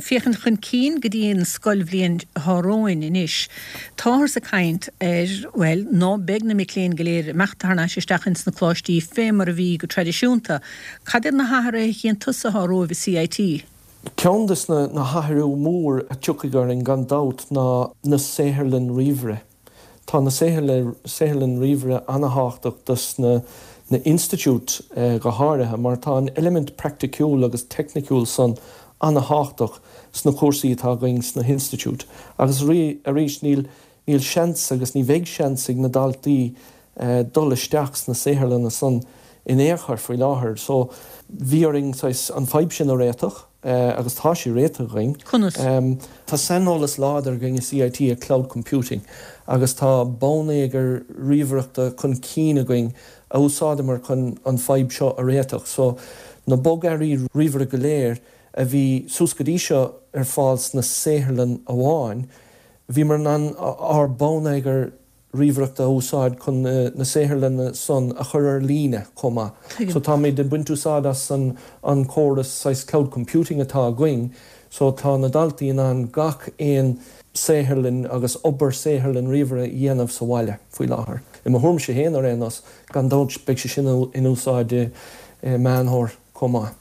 Speaker 1: féachaint chun cinn go dtí an scoilbhliain atá romhainn anois, táthar ag caint ar, bhuel, ná beidh na mic léinn go léir ag imeacht thar n-ais isteach ins na coláistí fé mar a bhí go traidisiúnta. Cad iad na hathruithe a chíonn tusa atá romhaibh i C I T?
Speaker 5: Ceann des na hathrú mór a tiocfaidh orainn gan dabht ná na saotharlann ríomhaire. Tá na saotharlann ríomhaire ana-thábhachtach dos na na institiúid go háirithe mar tá an eilimint praiticiúil agus teicniciúil san ana-thábhachtach sna cúrsaí atá againn sna hinstitiúid. Agus arís níl níl seans agus ní bheidh seans ag na daltaí dul isteach sna saotharlanna san in aon chor faoi láthair. So bhí orainn saghas an fadhb sin a réiteach agus tá sé réitithe againn.
Speaker 1: Conas?
Speaker 5: Tá saineolas láidir againn i CIT i cloud computing agus tá bonneagar ríomhaireachta chun cinn againn a úsáideamar chun an fadhb seo a réiteach. So na bogearraí ríomhaire go léir a bhí suas go dtí seo ar fáil sna saotharlann amháin, bhíomar in ann ár bonneagar ríomhaireachta a úsáid chun na saotharlanna san a chur ar líne chomh maith. So táimid ag baint úsáid as an an córas saghas cloud computing atá againn, so tá na daltaí in ann gach aon saotharlann agus obair saotharlann ríomhaire a dhéanamh sa bhaile faoi láthair. I mo thuairimse féin ar aon nós, gan dabht beidh sé sin in úsáid i Meán Fómhair chomh maith.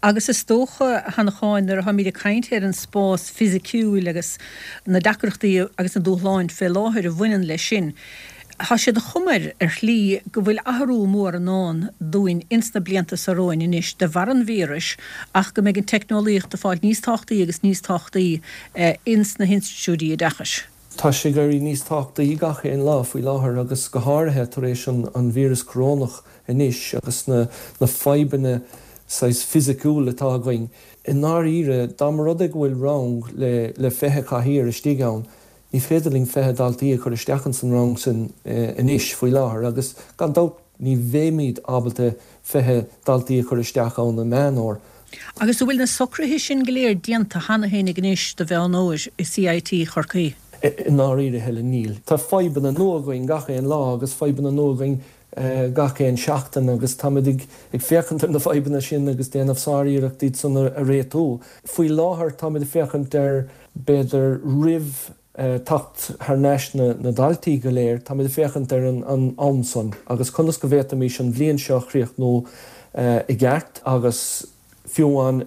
Speaker 1: Agus is dócha, a Sheanacháin, nuair atáimid ag caint ar an spás fisiciúil agus na deacrachtaí agus na dúshláin fé láthair a bhaineann leis sin, tá sé de chuma air, ar shlí, go bhfuil athrú mór i ndán dúinn ins na blianta seo romhainn anois de bharr an víris ach go mbeidh an teicneolaíocht ag fáil níos tábhachtaí agus níos tábhachtaí ins na hinstitiúidí oideachais.
Speaker 5: Tá sé ag éirí níos tábhachtaí gach aon lá faoi láthair agus go háirithe tar éis an víreas corónach anois agus na fadhbanna saghas fisiciúil atá againn. I ndáiríre, dá mba rud é go bhfuil rang le le fiche cathaoir istigh ann, ní féidir linn fiche daltaí a chur isteach ins an rang sin anois faoi láthair agus gan dabht ní bheimid ábalta fiche daltaí a chur isteach ann i Meán Fómhair.
Speaker 1: Agus an bhfuil na socruithe sin go léir déanta cheana féinig anois do Mheán Fhómhair i CIT Chorcaí?
Speaker 5: I ndáiríre, Helen, níl. Tá fadhbanna nua againn gach aon lá agus fadhbanna nua againn gach aon seachtain agus táimid ag féachaint ar na fadhbanna sin agus déanamh sár-iarracht iad san a réitiú. Faoi láthair táimid ag féachaint ar, b'fhéidir roimh teacht thar n-ais na ndaltaí go léir, táimid ag féachaint ar an am san agus conas go bhféadfaimis an bhliain seo a chríochnú i gceart agus fiú amháin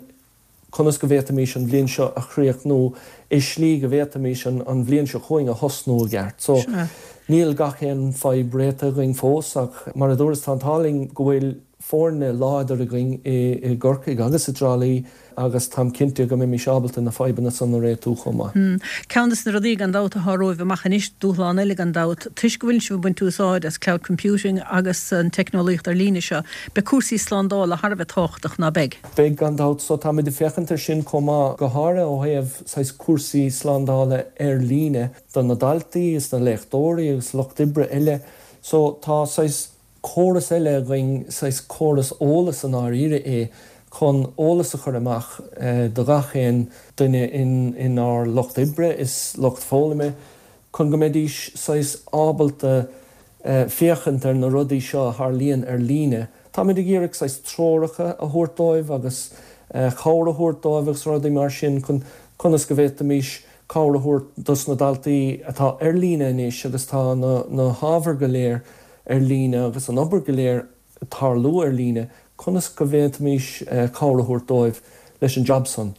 Speaker 5: conas go bhféadfaimis an bhliain seo a chríochnú i slí go bhféadfaimis an bhliain seo chugainn a thosnú i gceart. So, níl gach aon fadhb réitithe againn fós ach mar a dúras tá an t-ádh linn go bhfuil foirne láidir againn i gCorcaigh agus i dTrá Lí agus táim cinnte go mbeimis ábalta na fadhbanna san a réitiú chomh maith.
Speaker 1: Ceann de na rudaí gan dabht atá romhaibh amach anois, dúshlán eile gan dabht, toisc go bhfuil sibh ag baint úsáid as cloud computing agus an teicneolaíocht ar líne seo, beidh cúrsaí slándála thar a bheith tábhachtach, ná beidh?
Speaker 5: Beidh gan dabht. So táimid ag féachaint ar sin chomh maith, go háirithe ó thaobh saghas cúrsaí slándála ar líne do na daltaí is na léachtóirí agus lucht oibre eile. So tá saghas córas eile againn, saghas córas eolas i ndáiríre é, chun eolas a chur amach do gach aon duine inár lucht oibre is lucht foghlama, chun go mbeidís saghas ábalta féachaint ar na rudaí seo a tharlaíonn ar líne. Táimid ag iarraidh saghas treoracha a thabhairt dóibh agus cabhair a thabhairt dóibh agus rudaí mar sin chun conas go bhféadfaimis cabhair a thabhairt dos na daltaí atá ar líne anois agus tá na hábhair go léir ar líne agus an obair go léir ag tarlú ar líne, conas go bhféadfaimis cabhair a thabhairt dóibh leis an jab san,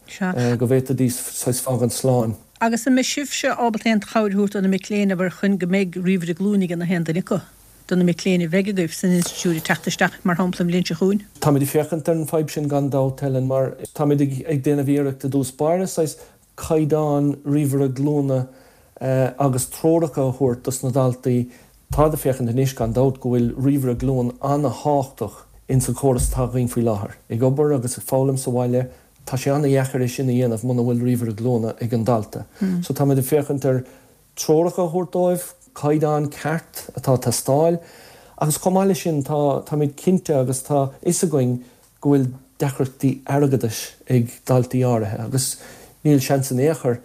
Speaker 5: go bhféadfaidís saghas fágaint slán.
Speaker 1: Agus an mbeidh sibhse ábalta aon chabhair a thabhairt do na mic léinn, abair, chun go mbeidh ríomhaire glúine ag na haon duine acu, do na mic léinn a bheidh agaibh san institiúid ag teacht isteach, mar shampla, an bhliain seo chugainn?
Speaker 5: Táimid ag féachaint ar an fadhb sin gan dabht, Helen, mar táimid ag déanamh iarracht i dtús báire saghas caighdeán ríomhaire glúine agus treoracha a thabhairt dos na daltaí. Táid ag féachaint anois gan dabht go bhfuil ríomhaire glúine ana-thábhachtach ins an chóras atá againn faoi láthair. Ag obair agus ag foghlaim sa bhaile, tá sé ana-dheacair é sin a dhéanamh muna bhfuil ríomhaire glúine ag an dalta. So táimid ag féachaint ar treoracha a thabhairt dóibh, caighdeán ceart atá ag teastáil agus chomh maith leis sin tá táimid cinnte agus tá fhios againn go bhfuil deacrachtaí airgeadais ag daltaí áirithe agus níl seans in aon chor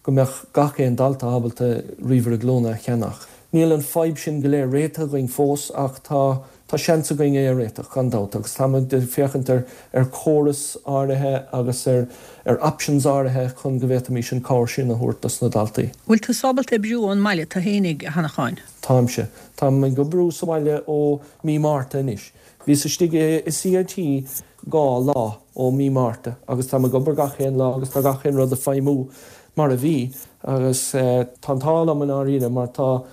Speaker 5: go mbeadh gach aon dalta ábalta ríomhaire glúine a cheannach. Níl an fadhb sin go léir réitithe againn fós ach tá tá seans againn é a réiteach, gan dabht, agus táimid ag féachaint ar ar chóras áirithe agus ar ar options áirithe chun go bhféadfaimis an cabhair sin a thabhairt dos na daltaí.
Speaker 1: Bhfuil tú ábalta oibriú ón mbaile tú fhéinig, a Sheanacháin?
Speaker 5: Táimse. Táim ag oibriú sa bhaile ó mí Márta anois. Bhíos istigh i CIT dhá lá ó mí Márta agus táim ag obair gach aon lá agus tá gach aon rud ag feidhmiú mar a bhí agus tá an t-ádh liom i ndáiríre mar tá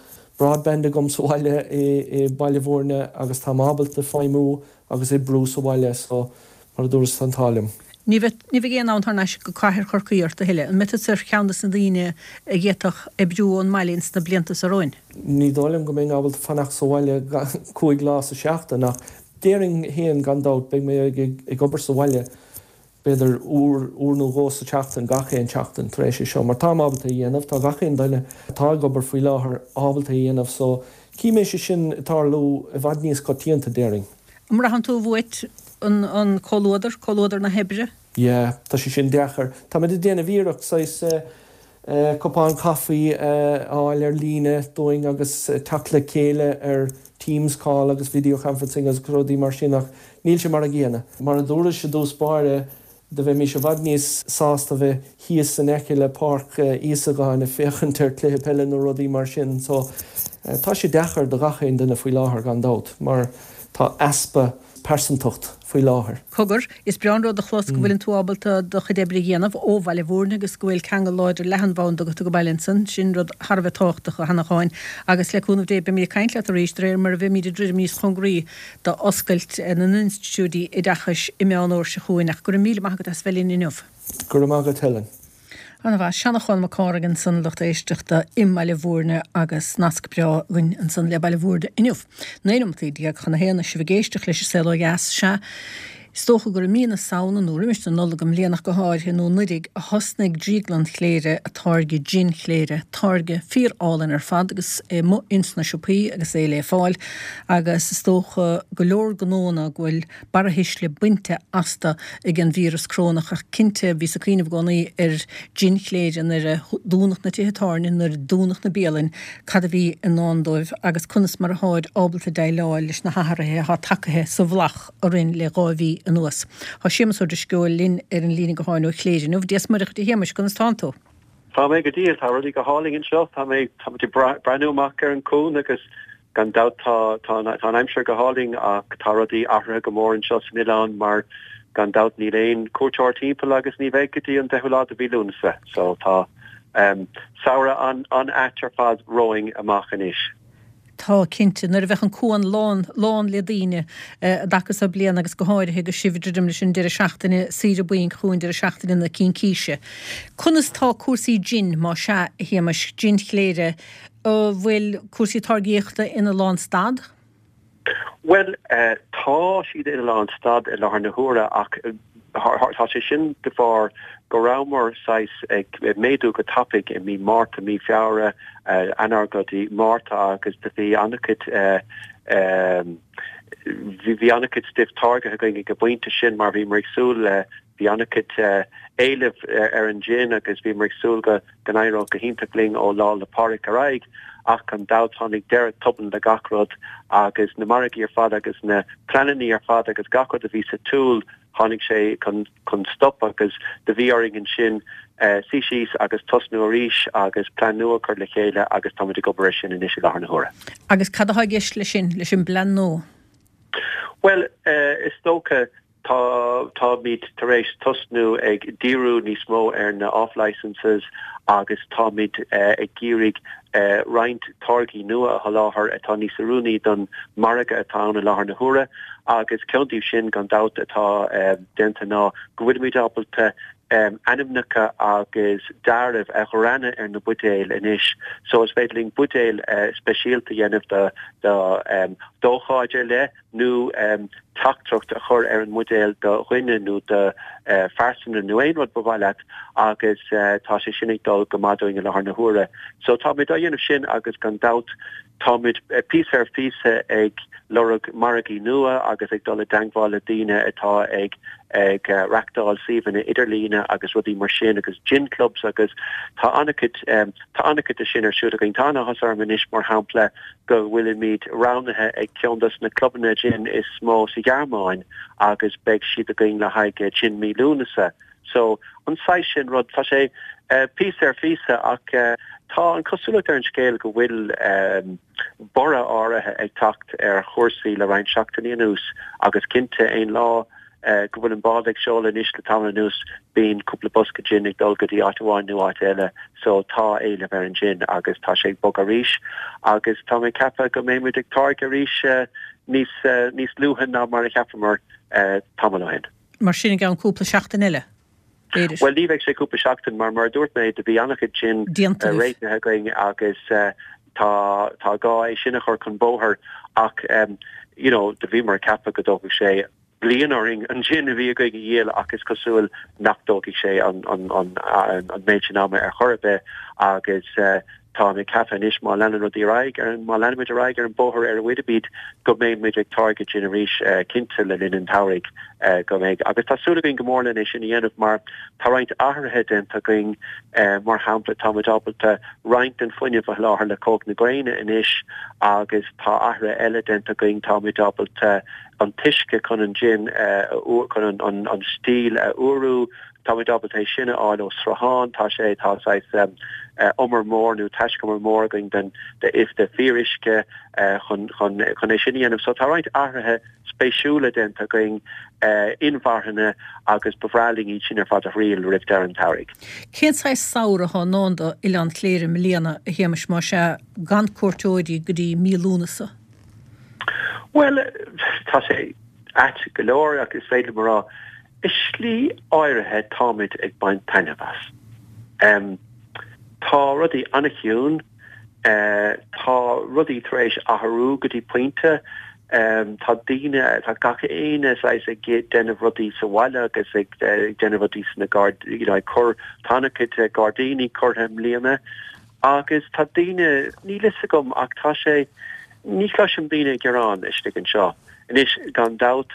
Speaker 5: broadband agam sa bhaile i Baile Bhúirne agus táim ábalta feidhmiú agus oibriú sa bhaile so mar a dúras tá an t-ádh liom.
Speaker 1: Ní bheidh ní bheidh aon fhonn thar n-ais go cathair Chorcaí ort a thuilleadh. An mbeidh tusa ar cheann de na daoine a d'fhéadfadh oibriú ón mbaile ins na blianta seo romhainn?
Speaker 5: Ní dóigh liom go mbeinn ábalta fanacht sa bhaile cúig lá sa seachtain ach déarfainn féin gan dabht beidh mé ag obair sa bhaile b'fhéidir uair, uair nó dhó sa tseachtain, gach aon tseachtain tar éis é seo, mar táim ábalta a dhéanamh, tá gach aon duine atá ag obair faoi láthair ábalta a dhéanamh, so cífidh mé sé sin ag tarlú i bhfad níos coitianta, déarfainn.
Speaker 1: An mbraitheann tú uait an, an comhluadar, comhluadar na hoibre?
Speaker 5: Yeah, tá sé sin deacair. Táimid ag déanamh iarracht saghas cupán caife a fháil ar líne dúinn agus teacht le chéile ar Teams call agus video conferencing agus rudaí mar sin ach níl sé mar a gcéanna. Mar a dúrais i dtús báire, do bheimis i bhfad níos sásta bheith thíos in aice le Páirc Íosagáin ag féachaint ar cluiche peile nó rudaí mar sin. So tá sé deacair do gach aon duine faoi láthair gan dabht mar tá easpa pearsantacht faoi láthair.
Speaker 1: Cogar, is breá an rud a chlos go bhfuileann tú ábalta do chuid oibre a dhéanamh ó Bhaile Mhúirne agus go bhfuil ceangal láidir leathanbhanda agat go baile ansan. Sin rud thar a bheith tábhachtach, a Sheanacháin. Agus le cúnamh Dé beimid ag caint leat arís de réir mar a bheimid ag druidim níos cóngaraí d'oscailt na n-institiúidí oideachais i Meán Fhómhair seo chugainn. Ach go raibh míle maith agat as bheith linn inniu.
Speaker 5: Go raibh maith agat Helen.
Speaker 1: Ana mhaith. Seanachán Mac Cárthaigh ansan a lucht éisteachta i mBaile Mhúirne agus nasc breá againn ansan le Baile Mhúirne inniu. Naoi nóimeataí déag chun a haon is sibh ag éisteacht leis an Saol Ó Dheas. Sea, is dócha gur i mí na Samhna nó roimis na Nollag i mbliana ach go háirithe nó anuraidh a thosnaigh Drioglann Chléire ag táirgeadh jin Chléire, táirge fíor álainn ar fad agus é amuigh ins na siopaí agus é le fáil agus is dócha go leor gnónna go bhfuil barrathuisle bainte astu ag an víreas corónach ach cinnte bhíos ag cuimhneamh i gcónaí ar jin Chléire nuair a dúnadh na tithe tábhairne, nuair a dúnadh na bialainn, cad a bhí i ndán dóibh agus conas mar atháid ábalta déileáil leis na hathruithe atá tagaithe sa bhflach orainn le dhá mhí anuas. Tá Séamus Ó Drisceoil linn ar an líne gutháin ó Chléire inniu. Dia is Muire dhuit a Shéamais, conas tánn tú?
Speaker 6: Tá mé go diail, tá rudaí go hálainn anseo, tá mé tá muid ag breathnú amach ar an cuan agus Gan dabht tá tá an aimsir go hálainn ach tá rudaí athraithe go mór anseo san oileán mar gan dabht níl aon cuairteoir timpeall agus ní bheidh go dtí an deichiú lá de mhí Lúnasa. So tá samhradh an an-ait ar fad romhainn amach anois.
Speaker 1: Tá, cinnte. Nuair a bheadh an cuan lán lán le daoine an dtaca so bliana agus go háirithe agus sibh ag druidim leis an deireadh seachtaine saoire bainc chugainn, deireadh seachtaine na Cincíse. Conas tá cúrsaí jin, más ea, a Shéamais, jin Chléire, An bhfuil cúrsaí táirgíochta ina lánstad?
Speaker 6: Bhuel, tá siad ina lánstad i láthair na huaire ach tá sé sin de bharr go rabhamar saghas ag méadú go tapaidh i mí Márta, mí Feabhra, Eanáir go dtí Márta agus do bhí an-chuid bhí an-chuid stuif táirgithe againn ag an bpointe sin mar bhíomar ag súil le Bhí an-chuid éilimh ar an jin agus bhíomar ag súil go n-éireodh go hiontach linn ó Lá 'le Pádraig ar aghaidh ach gan dabht tháinig deireadh tobann le gach rud agus na margaí ar fad agus na pleanannaí ar fad agus gach rud a bhí sa tsiúl tháinig sé chun stop agus do bhí orainn ansin suí síos agus tosnú arís agus plean nua a chur le chéile agus táimid ag obair ar sin anois i láthair na huaire.
Speaker 1: Agus cad atá i gceist leis sin, leis an bplean nua?
Speaker 6: Bhuel, is dócha Tá, táimid tar éis tosnú ag díriú níos mó ar na off-licences agus táimid ag iarraidh roinnt táirgí nua a sholáthar atá níos oiriúnaí don margadh atá ann i láthair na huaire agus ceann díobh sin gan dabht atá déanta ná go bhfuilimid ábalta ainmneacha agus dealramh a ghreanadh ar na buidéil anois so is féidir linn buidéil speisialta a dhéanamh do do d'ócáid ar leith nó teachtaireacht a chur ar an mbuidéal do dhuine nó do phearsanra nó aon rud ba mhaith leat agus tá sé sin ag dul go maith dúinn i láthair na huaire. So táimid á dhéanamh sin agus gan dabht táimid píosa ar phíosa ag lorg margaí nua agus ag dul i dteangmháil le daoine atá ag ag reachtáil suíomhanna idirlíne agus rudaí mar sin agus gin clubs agus tá an-chuid tá an-chuid de sin ar siúl againn. Tá an-áthas orm anois mar shampla go bhfuilimid roghnaithe ag ceann dos na clubanna gin is mó sa Ghearmáin agus beidh siad againn le haghaidh gin mí Lúnasa. So, an saghas sin rud. Tá sé píosa ar phíosa ach tá an cosúlacht ar an scéal go bhfuil borradh áirithe ag teacht ar chúrsaí le roinnt seachtainí anuas agus cinnte aon lá go bhfuil an bád ag seoladh anois le tamall anuas bíonn cúpla bosca gin ag dul go dtí áit amháin nó áit eile so tá éileamh ar an gin agus tá sé ag bogadh arís agus tá mé ag ceapadh go mbeidh muid ag táirgeadh arís níos níos luaithe ná mar a cheapamar tamall ó shin.
Speaker 1: Mar sin i gceann cúpla seachtain eile, b'fhéidir.
Speaker 6: Bhuel ní bheidh sé cúpla seachtain mar mar a dúirt mé do bhí an-chuid gin réitithe againn agus tá tá gá é sin a chur chun bóthair ach you know do bhíomar ag ceapadh go dtógfadh sé bliain orainn an jin a bhí againn a dhíol ach is cosúil nach dtógfaidh sé an an an an méid sin ama ar chor ar bith agus táim ag ceapadh anois má leanann rudaí ar aghaidh ar an má leanaimid ar aghaidh ar an bóthar ar a bhfuilimid go mbeidh muid ag táirgeadh jin arís cinnte le linn an tsamhraidh go mbeidh agus tá súil againn go mór len é sin a dhéanamh mar tá roinnt athruithe déanta againn mar shampla táimid ábalta roinnt den fuinneamh a sholáthar le cumhacht na gréine anois agus tá athruithe eile déanta againn táimid ábalta an t-uisce chun an jin chun an an an stíl a fhuarú, táimid ábalta é sin a fháil ó sruthán, tá sé tá saghas umar mór nó taiscumar mór againn den de is de fíoruisce chun chun chun é sin a dhéanamh. So tá roinnt athruithe spéisiúla déanta againn inmharthana agus ba bhreá linn iad sin ar fad a thriail roimh deireadh an tsamhraidh.
Speaker 1: Cén saghas samhradh atá i ndán do Oileán Chléire i mbliana, a Shéamais, más ea, gan cuairteoirí go dtí mí Lúnasa?
Speaker 6: Bhuel, tá sé ait go leor ach is féidir liom a rá, i slí áirithe táimid ag baint taitneamh as. Tá rudaí an-chiúin, tá rudaí tar éis athrú go dtí pointe, tá daoine, tá gach éinne saghas ag déanamh rudaí sa bhaile agus ag déanamh rudaí sna gairdíní, you know, ag cur, tá an-chuid gairdíní curtha i mbliana agus tá daoine, níl fhios agam ach tá sé, Ní chloisim daoine ag gearán istigh anseo. Anois, gan dabht,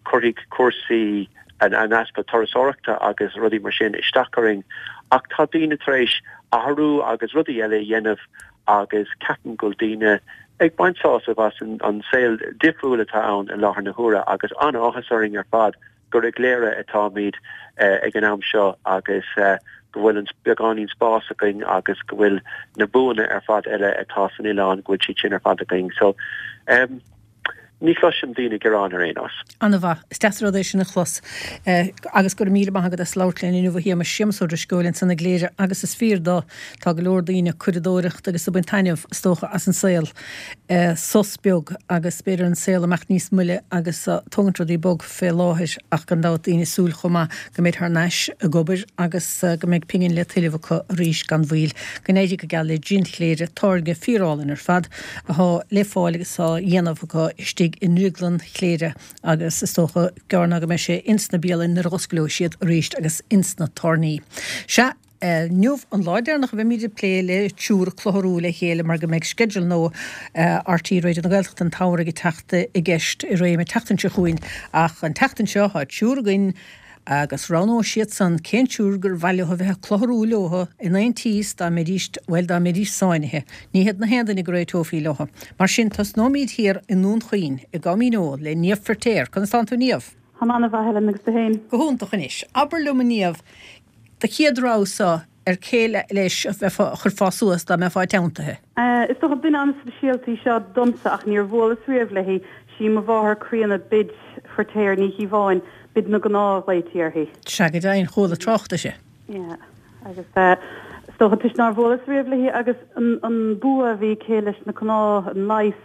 Speaker 6: cuirfidh cúrsaí an easpa turasóireachta agus rudaí mar sin isteach orainn, ach tá daoine tar éis athrú agus rudaí eile a dhéanamh agus ceapaim go bhfuil daoine ag baint sásamh as an saol difriúil atá ann i láthair na huaire agus an-áthas orainn ar fad gur i gCléire atáimid ag an am seo agus go bhfuil an beagáinín spás againn agus go bhfuil na buanna ar fad eile atá san oileán, go bhfuil siad sin ar fad againn. So, em, ní chloisim daoine ag gearán ar aon nós.
Speaker 1: An-mhaith. Is deas an rud é sin a chlos. Agus go raibh míle maith agat as labhairt linn inniu a Shéamais. Séamus Ó Drisceoil ansan i gCléire agus is fíor dó, tá go leor daoine ag curadóireacht agus ag baint taitneamh, is dócha, as an saol. Sos beag agus b'fhéidir an saol imeacht níos moille agus tógaint rudaí bog fé láthair ach gan dabht daoine ag súil chomh maith go mbeid thar n-ais ag obair agus go mbeidh pingin le tuilleamh acu arís gan mhoill. Go n-éirí go geal le Jin Chléire, táirge fíorálainn ar fad athá le fáil agus á dhéanamh acu istigh i nDrioglann Chléire agus is dócha gearr ná go mbeidh sé ins na bialanna nuair a dh'osclóidh siad arís agus ins na tábhairní. Sea! Inniu an lá deireanach a bheimid ag plé le triúr ag clutharú le chéile mar go mbeidh sceideal nua RTÉ Raidió na Gaeltachta an tsamhraidh ag teacht i gceist i réim an tseachtain seo chugainn ach an tseachtain seo tá triúr againn agus roghnóidh siadsan cén triúr gur mhaith leo a bheith ag clutharú leo in aontíos dá mbeidís, bhuel dá mbeidís sáinnithe. Ní hiad na haon duine go réiteofaí leo. Mar sin tosnóimid thiar i nDún Chaoin, i gCom Dhíneol, le Niamh Feirtéar. Conas tánn tú Niamh?
Speaker 7: Táim an-mhaith Helen agus tú féin?
Speaker 1: Go hiontach anois. Abair liom a Niamh, Do chéad rogha-sa ar cé leis a bheifeá, a chuirfeá suas dá mbeifeá teanntaithe?
Speaker 7: Is dócha duine an-speisialta í seo domsa ach níor bhuaileas riamh léi, sí mo mháthair chríonna Bid Feirtéar Ní Chíobháin, Bid na gCnámh a ghlaoití uirthi.
Speaker 1: Sea, go deimhin, chuala trácht uirthi.
Speaker 7: Yeah, agus is dócha toisc nár bhuaileas riamh léi agus an bua a bhí aici leis na cnámha, an leigheas,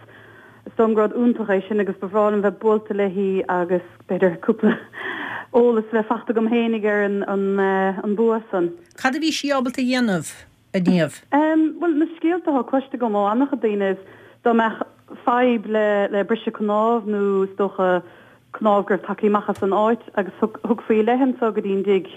Speaker 7: Is dóigh liom gur rud iontach é sin agus ba bhreá liom bheith buailte léi agus b'fhéidir cúpla eolas a bheith fachta agam fhéinig ar an bua san.
Speaker 1: Cad a bhí sí ábalta a dhéanamh, a Niamh?
Speaker 7: Bhuel, na scéalta atá cloiste agam ó an-chuid daoine is dá mbeadh fadhb le briseadh cnámh nó is dócha cnámh go raibh tagtha amach as an áit agus thugfaí i leith anso go dtí an dtigh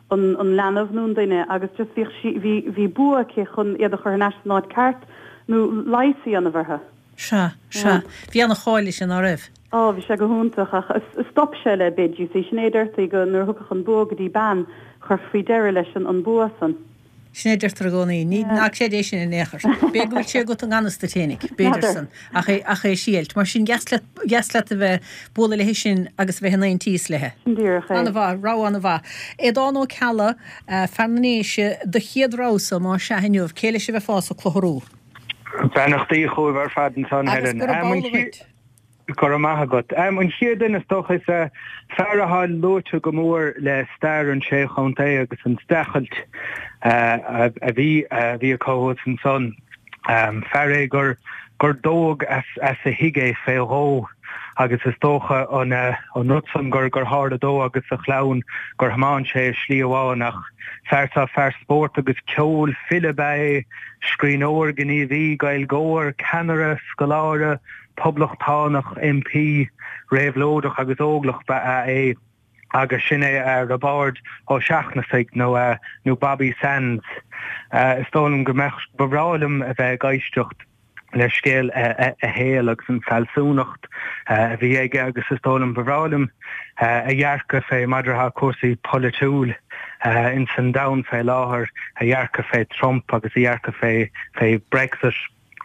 Speaker 7: an leanbh nó an duine agus just bhíodh sí, bhí, bhí bua aici chun iad a chur thar n-ais san áit ceart nó leigheas a dhéanamh orthu.
Speaker 1: Sea, sea. Bhí ana-cháil uirthi, ná raibh?
Speaker 7: Á, bhí sé go hiontach ach stop sé le Bid, you see. Sin é a deirtí go, nuair a thiocfadh an bua go dtí bean, chuirfí deireadh leis an bua san.
Speaker 1: Sin é a deirtear i gcónaí. Ní, ná creid é sin in aon chor. B'fhéidir go bhfuil sé agat i ngan fhios duit fhéinig, b'fhéidir san, ach é, ach é sílt. Mar sin, dheas leat, dheas leat a bheith, bualadh léi sin agus a bheith in aontíos léi.
Speaker 7: Sin díreach é.
Speaker 1: Ana-mhaith, rogha ana-mhaith. Aodán Ó Ceallaigh, fear na nDéise, do chéad rogha-sa, más ea inniu, cé leis a bheifeása ag clutharú?
Speaker 8: Beannachtaí chugaibh ar fad ansan,
Speaker 1: Agus
Speaker 8: Helen.
Speaker 1: gurab amhlaidh dhuit.
Speaker 8: Go raibh maith agat. An chéad duine is dócha is fear atá luaite go mór le stair an Sé Chontae agus an streachailt a bhí a bhí acu thuas ansan. Fear é gur gur dódh as as a thigh é fé dhó agus is dócha an an rud san gur gur tharla dó agus a chlann gur thiomáin sé i slí amháin ach fear sa fear spóirt agus ceoil, file ba ea é, scríbhneoir, gníomhaí, Gaeilgeoir, ceannaire, scoláire, poblachtánach, MP, réabhlóideach agus óglach ba ea é agus sin é Roibeárd Ó Seachnasaigh nó nó Bobby Sands. Is dóigh liom go mbeadh, ba bhreá liom a bheith ag éisteacht le scéal a shaoil agus an fealsúnacht a bhí aige agus is dóigh liom ba bhreá liom a dhearcadh fé maidir le cúrsaí polaitiúil ins an domhan fé láthair, a dhearcadh fé Trump agus a dhearcadh fé fé Brexit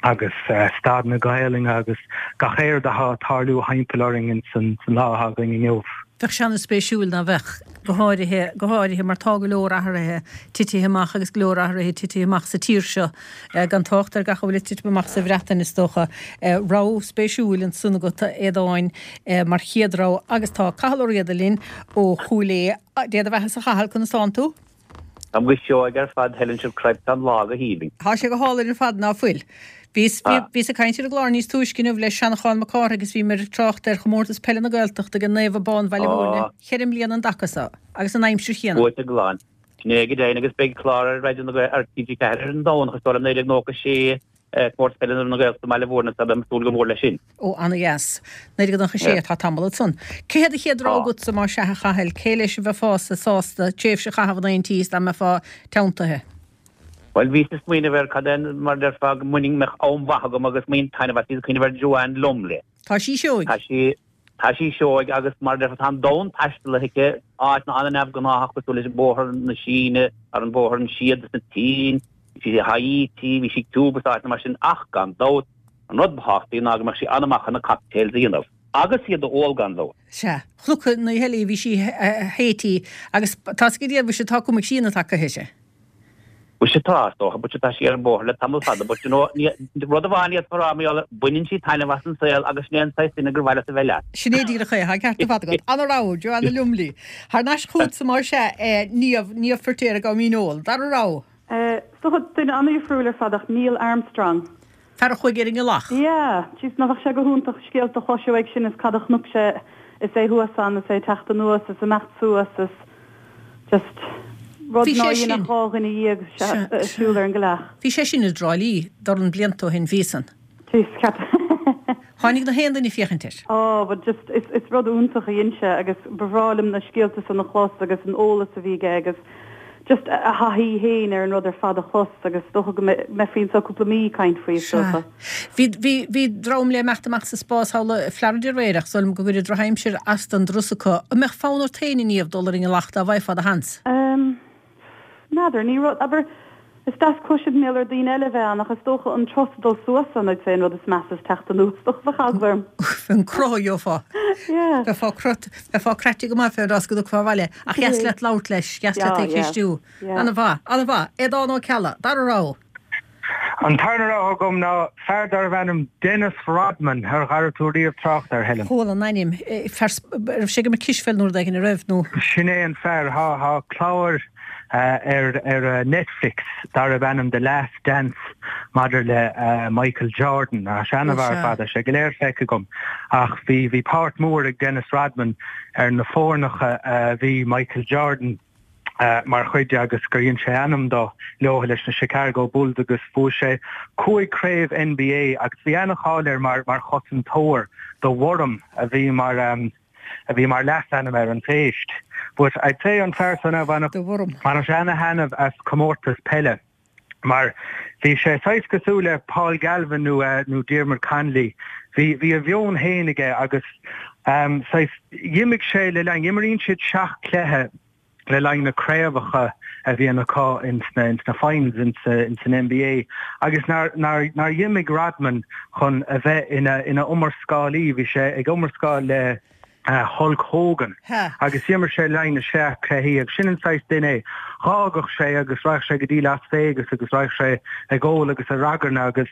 Speaker 8: agus staid na Gaelainne agus gach éard atá ag tarlú thimpeall orainn ins an lá atá againn inniu.
Speaker 1: Bheadh sé an-spéisiúil, ná bheadh? Go háirithe, go háirithe mar tá go leor athruithe titithe amach agus go leor athruithe titithe amach sa tír seo, gan trácht ar gach a bhfuil ag titim amach sa Bhreatain, is dócha. Rogha spéisiúil ansan agat, a Aodáin, mar chéad rogha. Agus tá Cathal Ó Riada linn ó Chúil Aodha. Dé do bheatha-sa, a Chathail, conas tánn tú?
Speaker 9: Táim go seoigh ar fad, Helen, sibh craic tá an lá go haoibhinn.
Speaker 1: Tá sé go hálainn ar fad, ná fuil? Bhíos, bhíos ag caint ar an gclár níos túisce inniu le Seanchán Mac Cárthaigh agus bhíomar ag trácht ar chomórtas peile na Gaeltachta ag Naomh Abán Bhaile Mhúirne cheithre mbliana an dtaca so agus an aimsir chéanna.
Speaker 9: Buaite glan. Sin é go deimhin agus beidh clár ar Raidió na Gael, ar T G ceathair ar an Domhnach is dóigh liom naoi déag nócha sé, comórtas peile na Gaeltachta i mBaile Mhúirne so beidh mé ag súil go mór leis sin.
Speaker 1: Ó, ana-dheas. Naoi déag nócha sé atá tamall ansan. Cé hiad an chéad rogha agatsa más ea a Chathail? Cé leis a bheifeása sásta tréimhse a chaitheamh in aontíos dá mbeifeá teanntaithe?
Speaker 9: Bhuel, bhíos ag smaoineamh ar cad é mar a déarfá go mbainfinn mbeadh am mhaith agam agus mbainfinn taitneamh as, bhíos ag cuimhneamh ar Joanne Lumley.
Speaker 1: Tá sí seoigh.
Speaker 9: Tá sí, tá sí seoigh agus mar a déarfá tá an domhan taistealaithe aici, áiteanna an-neamhghnáthach cosúil leis an bóthar na Síne, ar an bóthar an Síoda sa tSín, bhí sí i Haiti, bhí sí i Cuba is áiteanna mar sin ach gan dabht, an rud ba thábhachtaí ná go mbeadh sí an-mhaith chun na cocktails a dhéanamh. Agus iad a ól gan dabht.
Speaker 1: Sea. Chonac an oíche eile í, bhí sí i Haiti agus tá's agat a mhuise tá cuma críonna tagtha uirthi.
Speaker 9: Mhuise tá, is dócha, but tá sí ar an bóthar le tamall fada, but you know, ní, rud amháin a d'fhéadfá a rá mar gheall air, baineann sí taitneamh as an saol agus sin é an saghas duine gur mhaith leat a bheith leat.
Speaker 1: Sin é díreach é, tá an ceart ar fad agat. Ana-rogha, Joanna Lumley. Thar n-ais chugatsa más ea, eh, Niamh, Niamh Feirtéar ag Mín Eol. Dara rogha.
Speaker 7: Eh, is dócha duine an-dhifriúil ar fad ach Neil Armstrong.
Speaker 1: Fear a chuaigh ar an ngealach.
Speaker 7: Yeah, jeez, ná bheadh sé go hiontach scéalta a chloiseadh uaidh sin is cad a chonaic sé is é thuas ann is é ag teacht anuas is imeacht suas is just rud
Speaker 1: Bhí
Speaker 7: ná
Speaker 1: sé sin.
Speaker 7: dhéanfadh dhá dhuine dhéag
Speaker 1: Sea,
Speaker 7: ag siúl ar an gcailleach.
Speaker 1: Bhí sé sin i dTrá Lí, dornán blianta ó shin, bhí san.
Speaker 7: Jeez, ceap.
Speaker 1: Tháinig na haon duine féachaint air.
Speaker 7: Oh, but just is is rud iontach a dhein sé agus ba bhreá liom na scéalta san a chlos agus an eolas a bhí aige agus just a thaithí féin ar an rud ar fad a chlos agus is dócha go mbeifí anseo cúpla mí ag caint faoi, is dócha.
Speaker 1: Bhí, bhí, bhí dream le imeacht amach sa spás thall i Florida aréir ach is dóigh liom go gcuirfidh drochaimsir as don dturas acu. An mbeadh fonn ort féin, a Niamh, dul ar an ngealach dá bhfaighfeá do sheans?
Speaker 7: Ehm, n'fheadar, ní rud, abair, is deas cloiseadh mar gheall ar daoine eile a bheith ann ach is dócha an turas ag dul suas ann, I'd say an rud is measa is teacht anuas, is dócha bheadh eagla orm.
Speaker 1: An crot a gheofá.
Speaker 7: Yeah.
Speaker 1: Bheifeá crot, bheifeá craite go maith fén dturas go dtiocfá abhaile ach dheas leat labhairt leis, dheas leat é
Speaker 7: Yeah, yeah.
Speaker 1: cheistiú.
Speaker 7: Yeah.
Speaker 1: Ana-mhaith, ana-mhaith. Aodán Ó Ceallaigh, dara rogha.
Speaker 8: An tarna rogha agam ná fear darbh ainm Dennis Rodman, ar chuala tú riamh trácht air, Helen?
Speaker 1: Chuala an ainm. Fear, raibh sé ag imirt cispheil nó rud éigin, an raibh, nó?
Speaker 8: Sin é an fear. Tá, tá clár ar, ar Netflix darbh ainm The Last Dance maidir le Michael Jordan. Tá sé ana-mhaith ar fad, tá sé go léir feicthe agam. Ach bhí, bhí páirt mhór ag Dennis Rodman ar na foirneacha a bhí Michael Jordan mar chuid de agus gur dhein sé ainm dó leo leis na Chicago Bulls agus bhuaigh sé cúig craobh N B A agus bhí ana-cháil air mar mar chosantóir, The Worm a bhí mar a bhí mar leasainm air, an phéist. But I'd say an fear san a bhainfeadh
Speaker 1: The Worm.
Speaker 8: bhainfeadh sé ana-thaitneamh as comórtas peile. Mar bhí sé saghas cosúil le Paul Galvin nó nó Diarmuid Connolly. Bhí bhí a mheon féin aige agus saghas d'imigh sé le linn, imríonn siad seacht cluiche le linn na craobhacha a bhíonn acu ins na ins na finals ins ins an N B A agus nár nár nár dh'imigh Rodman chun a bheith ina ina iomrascálaí, bhí sé ag iomrascáil le Hulk Hogan agus d'imir sé le linn na seacht cluichí agus sin an saghas duine é. Dh'fhágadh sé agus raghadh sé go dtí Las Vegas agus raghadh sé ag ól agus ag ragairne agus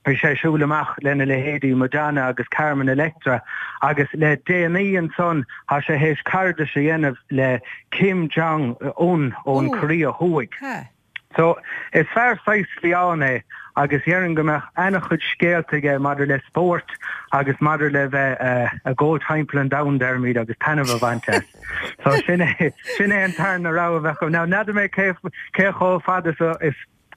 Speaker 8: bhí sé ag siúl amach lena leithéidí Madonna agus Carmen Electra agus le déanaí ansan tá sé théis cairdeas a dhéanamh le Kim Jong Un ón Korea Thuaidh. So is fear saghas fiáin é agus déarfainn go mbeadh an-chuid scéalta aige maidir le spórt agus maidir le bheith ag gabháil timpeall an domhain deirimid agus taitneamh a bhaint as. So sin é sin é an tarna rogha a bheadh agam. Now n'fheadar mé cé cé chomh fada is a is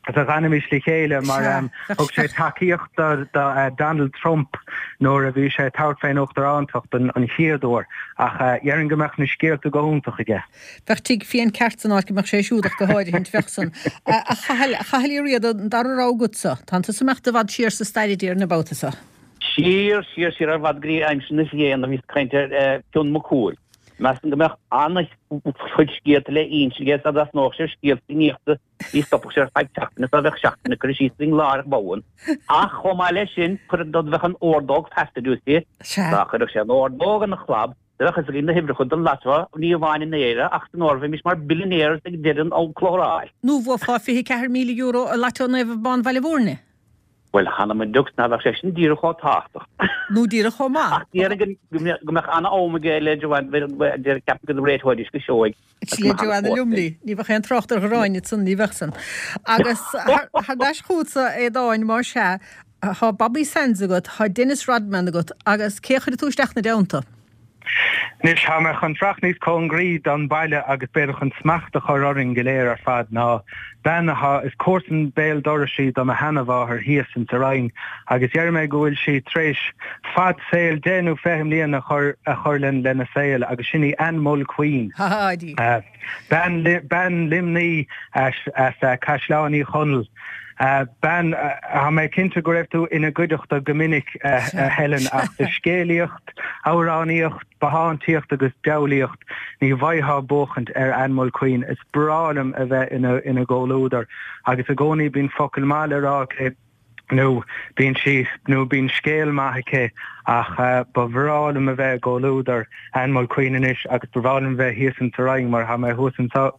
Speaker 8: a d'fhanfaimis le chéile mar thug sé tacaíocht do Donald Trump nuair a bhí sé ag tabhairt fén uachtarántacht an chéad uair ach déarfainn go mbeadh na scéalta go hiontach aige.
Speaker 1: Bheadh tigh fiáin ceart san áit go mbeadh sé siúd ach go háirithint, bheadh san. A Chathail, a Chathail Uí Riada, an dara rogha agatsa, tánn tusa ag imeacht i bhfad siar sa stair a déarfainn an babhta so.
Speaker 9: Siar, siar, siar ar fad go dtí aimsir na Fianna a bhíos ag caint ar Fionn Mac Cumhaill. Measaim go mbeadh an-chuid scéalta le inse aige dá dtosnódh sé ar scéalta Fiannaíochta ní stopfadh sé ar feadh seachtaine dá bheadh seachtain ag cur síos againn láithreach bonn. Ach chomh maith leis sin, chuir do bheadh an ordóg feasta di, dá chuirfeadh sé an ordóg ina chlab, do bheadh fhios againn na huimhreacha don lotto, ní amháin in Éire ach san Eoraip, bheimis mar billionaires ag deireadh an chócaireáil.
Speaker 1: Nó bhuafá fiche ceathair míle euro i Lotto Naomh Abán Bhaile Bhúirne.
Speaker 9: Bhuel, th'anam 'on diocs ná bheadh sé sin díreach chomh tábhachtach.
Speaker 1: Nó díreach chomh maith.
Speaker 9: Ach déarfainn go mbeadh an-am aige le Joanne, ceapaim go réiteoidís go seoigh.
Speaker 1: Le Joanna Lumley. Ní bheadh aon trácht ar Ghráinne ansan, ní bheadh san. Agus thar n-ais chugatsa, a Aodáin, más ea, tá Bobby Sands agat, tá Dennis Rodman agat, agus cé a chuirfidh tú isteach 'na dteannta?
Speaker 8: Anois, tá mé chun teacht níos cóngaraí don bhaile agus b'fhéidir chun smacht a chur orainn go léir ar fad ná bean atá, is comharsan béal dorais í do mo sheanamháthair thíos ins a' Rinn agus déarfaidh mé go bhfuil sí tar éis fad saoil deich nó fiche mbliana a chur a chur lena saol agus sin í Ann Mulqueen. Bean bean Luimnigh as Caisleán Uí Chonaill. Bean, tá mé cinnte go raibh tú ina gcuideachta go minic, a Helen, ach do scéalaíocht, amhránaíocht, bothántaíocht agus diabhlaíocht, ní bhfaightheá buachaint ar Ann Mulqueen. Is breá liom a bheith ina ina gcomhluadar agus i gcónaí bíonn focal maith le rá aici nó bíonn sí nó bíonn scéal maith aici ach ba bhreá liom a bheith i gcomhluadar Ann Mulqueen anois agus ba bhreá liom a bheith thíos insa Rinn mar tá mé thuas anseo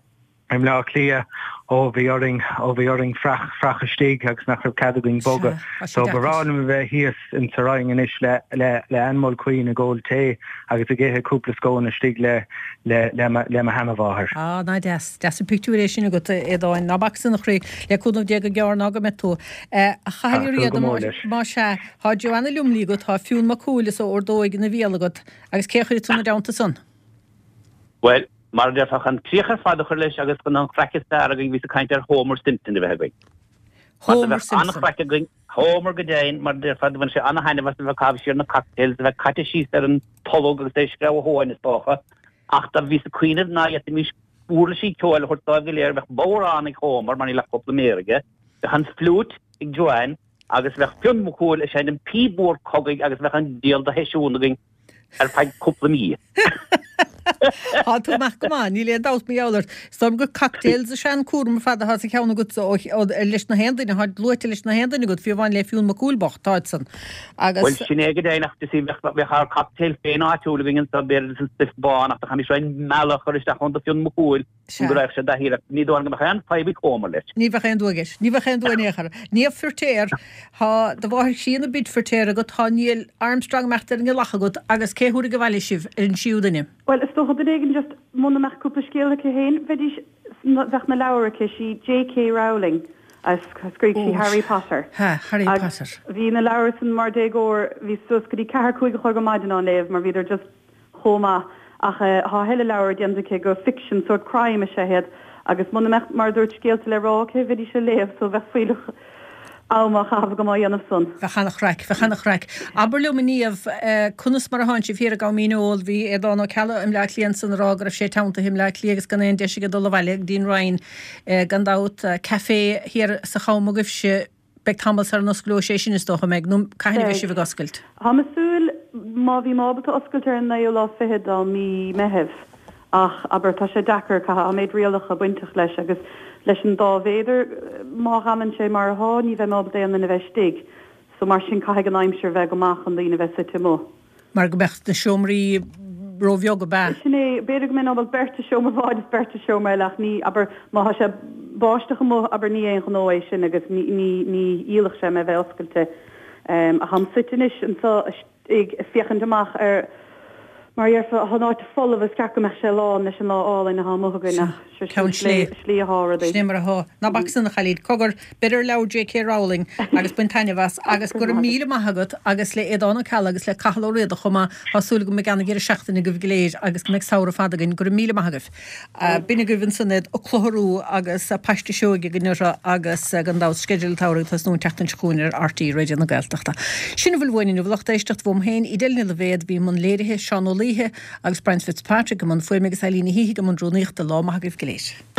Speaker 8: i mBleá Cliath ó bhí orainn, ó bhí orainn freach, freach istigh agus nach raibh cead againn bogadh. So ba bhreá liom a bheith thíos in sa Rinn anois le, le, le Ann Mulqueen ag ól tae agus ag ithe cúpla scone istigh le, le, le mo, le mo sheanamháthair.
Speaker 1: Á, ná deas, deas an pictiúr é sin agat, a Aodáin. Ná bac san a chroí, le cúnamh Dé go gearr ná go mbeidh tú. A Chathail Uí Riada, más ea, tá Joanna Lumley agat, tá Fionn Mac Cumhaill is a ordóig ina bhéal agat, agus cé a chuirfidh tú ina dteannta san?
Speaker 9: Bhuel, mar a déarfá, chun críoch ar fad a chur leis agus chun an chraic is fearr againn, bhíos ag caint ar Homer Simpson a bheith againn. Mar do
Speaker 1: Homer
Speaker 9: bheadh
Speaker 1: Simpson.
Speaker 9: an-chraic againn, Homer go deimhin, mar a déarfá, do bhain sé an-thaitneamh as a bheith ag caitheamh siar na cocktails, a bheith caite síos ar an tolg agus é ag screamh a thóin, is dócha. Ach do bhíos ag cuimhneamh ná fhéadfaimis uirlisí ceoil a thabhairt dóibh go léir, bheadh bodhrán ag Homer, mar níl ach cúpla méar aige, bheadh an fliúit ag Joanne agus bheadh Fionn Mac Cumhaill ag seinm píob mór cogaidh agus bheadh an diabhal de sheisiún againn. ar feadh cúpla mí.
Speaker 1: Tá tú amach go maith, níl aon dabht mar gheall ort. Is dóigh liom gur cocktails is ea an cúram ar fad atá sa cheann agatsa ó leis na haon duine, atá luaite leis na haon duine agat, fiú amháin le Fionn Mac Cumhaill bocht, táid san. Agus.
Speaker 9: Bhuel, sin é go deimhin ach you see bheadh bheadh ár cocktail féin áitiúil againn anseo, b'fhéidir an stuif bán ach do chaithfimis roinnt meala a chur isteach ann do Fionn Mac Cumhaill.
Speaker 1: Sea.
Speaker 9: Go raghadh sé i dtaithí air. Ní dóigh liom go mbeadh aon fadhb ag Homer leis.
Speaker 1: Ní bheadh aon dua aige. Ní bheadh aon dua in aon chor. Niamh Firtéar, Tá do mháthair chríonna Brid Firtéar agat, tá Neil Armstrong ag imeacht ar an ngealach agat agus cé thabharfaidh abhaile sibh ar an séú duine?
Speaker 7: Bhuel, is dócha duine éigin just muna mbeadh cúpla scéal aici féin, bheidís, bheadh na leabhair aici, sí JK Rowling a scrígh sí Harry Potter.
Speaker 1: Ha, Harry
Speaker 7: Agus
Speaker 1: Potter.
Speaker 7: bhí na leabhair san mar déagóir, bhí suas go dtí ceathair, cúig a chlog ar maidin á léamh mar bhíodar just chomh maith ach tá a thuilleadh leabhar déanta aici go ficsean, sórt crime is ea iad agus muna mbeadh, mar a dúirt, scéalta le rá aici, bheidís á léamh so bheadh fuílleach ama á chaitheamh agam á dhéanamh san.
Speaker 1: Bheadh an-chraic, bheadh an-chraic. Abair liom a Niamh, conas mar atánn sibh thiar i gCom Dhíneol? Bhí Aodán Ó Ceallaigh i mBleá Cliath ansan ag rá go raibh sé teanntaithe i mBleá Cliath agus gan aon deis aige dul abhaile go dtí an Rinn gan dabht. Café thiar sa Cham agaibhse, Beidh tamall sara n-osclóidh sé sin, is dócha, an mbeidh? Nó cathain a bheidh
Speaker 7: Beidh.
Speaker 1: sibh ag oscailt?
Speaker 7: Táim ag súil, má bhím ábalta oscailt ar an naoú lá fichead de mí Meithimh, ach, abair, tá sé deacair, caithfidh an méid rialacha bainteach leis agus leis an dá mhéadar, má dh'fhanann sé mar athá, ní bheidh mé ábalta aon duine a bheith istigh. So, mar sin, caithfidh an aimsir bheith go maith chun daoine a bheith suite amuigh.
Speaker 1: Mar go mbeadh na seomraí róbheag, ab ea?
Speaker 7: Sin é. B'fhéidir go mbeinn ábalta beirt i seomra amháin is beirt i seomra eile ach ní, abair, má thá sé báisteach amuigh, abair, ní aon ghnó é sin agus ní, ní, ní dhíolfadh sé mé bheith oscailte. Ach táim suite anois anseo ag féachaint amach ar, Mar a déarfá, tá an áit folamh, is ceart go mbeadh sé lán leis an lá álainn atá amuigh againn ach sure sin slí atá rudaí.
Speaker 1: Sin é mar atá. Ná bac san a chailín. Cogar, beir ar leabhar J.K. Rowling agus bain taitneamh as agus go raibh míle maith agat agus le Aodán Ó Ceallaigh agus le Cathal Ó Riada chomh maith. Tá súil agam go mbeidh ana-dheireadh seachtaine agaibh go léir agus go mbeidh samhradh fada againn. Go raibh míle maith agaibh. B'in agaibh ansan iad, An Clochar Rua agus Paiste Seoige againn orthu agus gan dabht Sceideal an tSamhraidh ag tosnú an tseachtain seo chugainn ar RTÉ Raidió na Gaeltachta. Sin a bhfuil uainn inniu a lucht éisteachta uaim féin, Edel Ní Loibhéad, a bhí i mbun léirithe, Seán Ó Laoithe agus Brian Fitzpatrick i mbun fuaime agus Eileen Ní hÍthigh i mbun rúnaíochta. Lá maith agaibh go léir.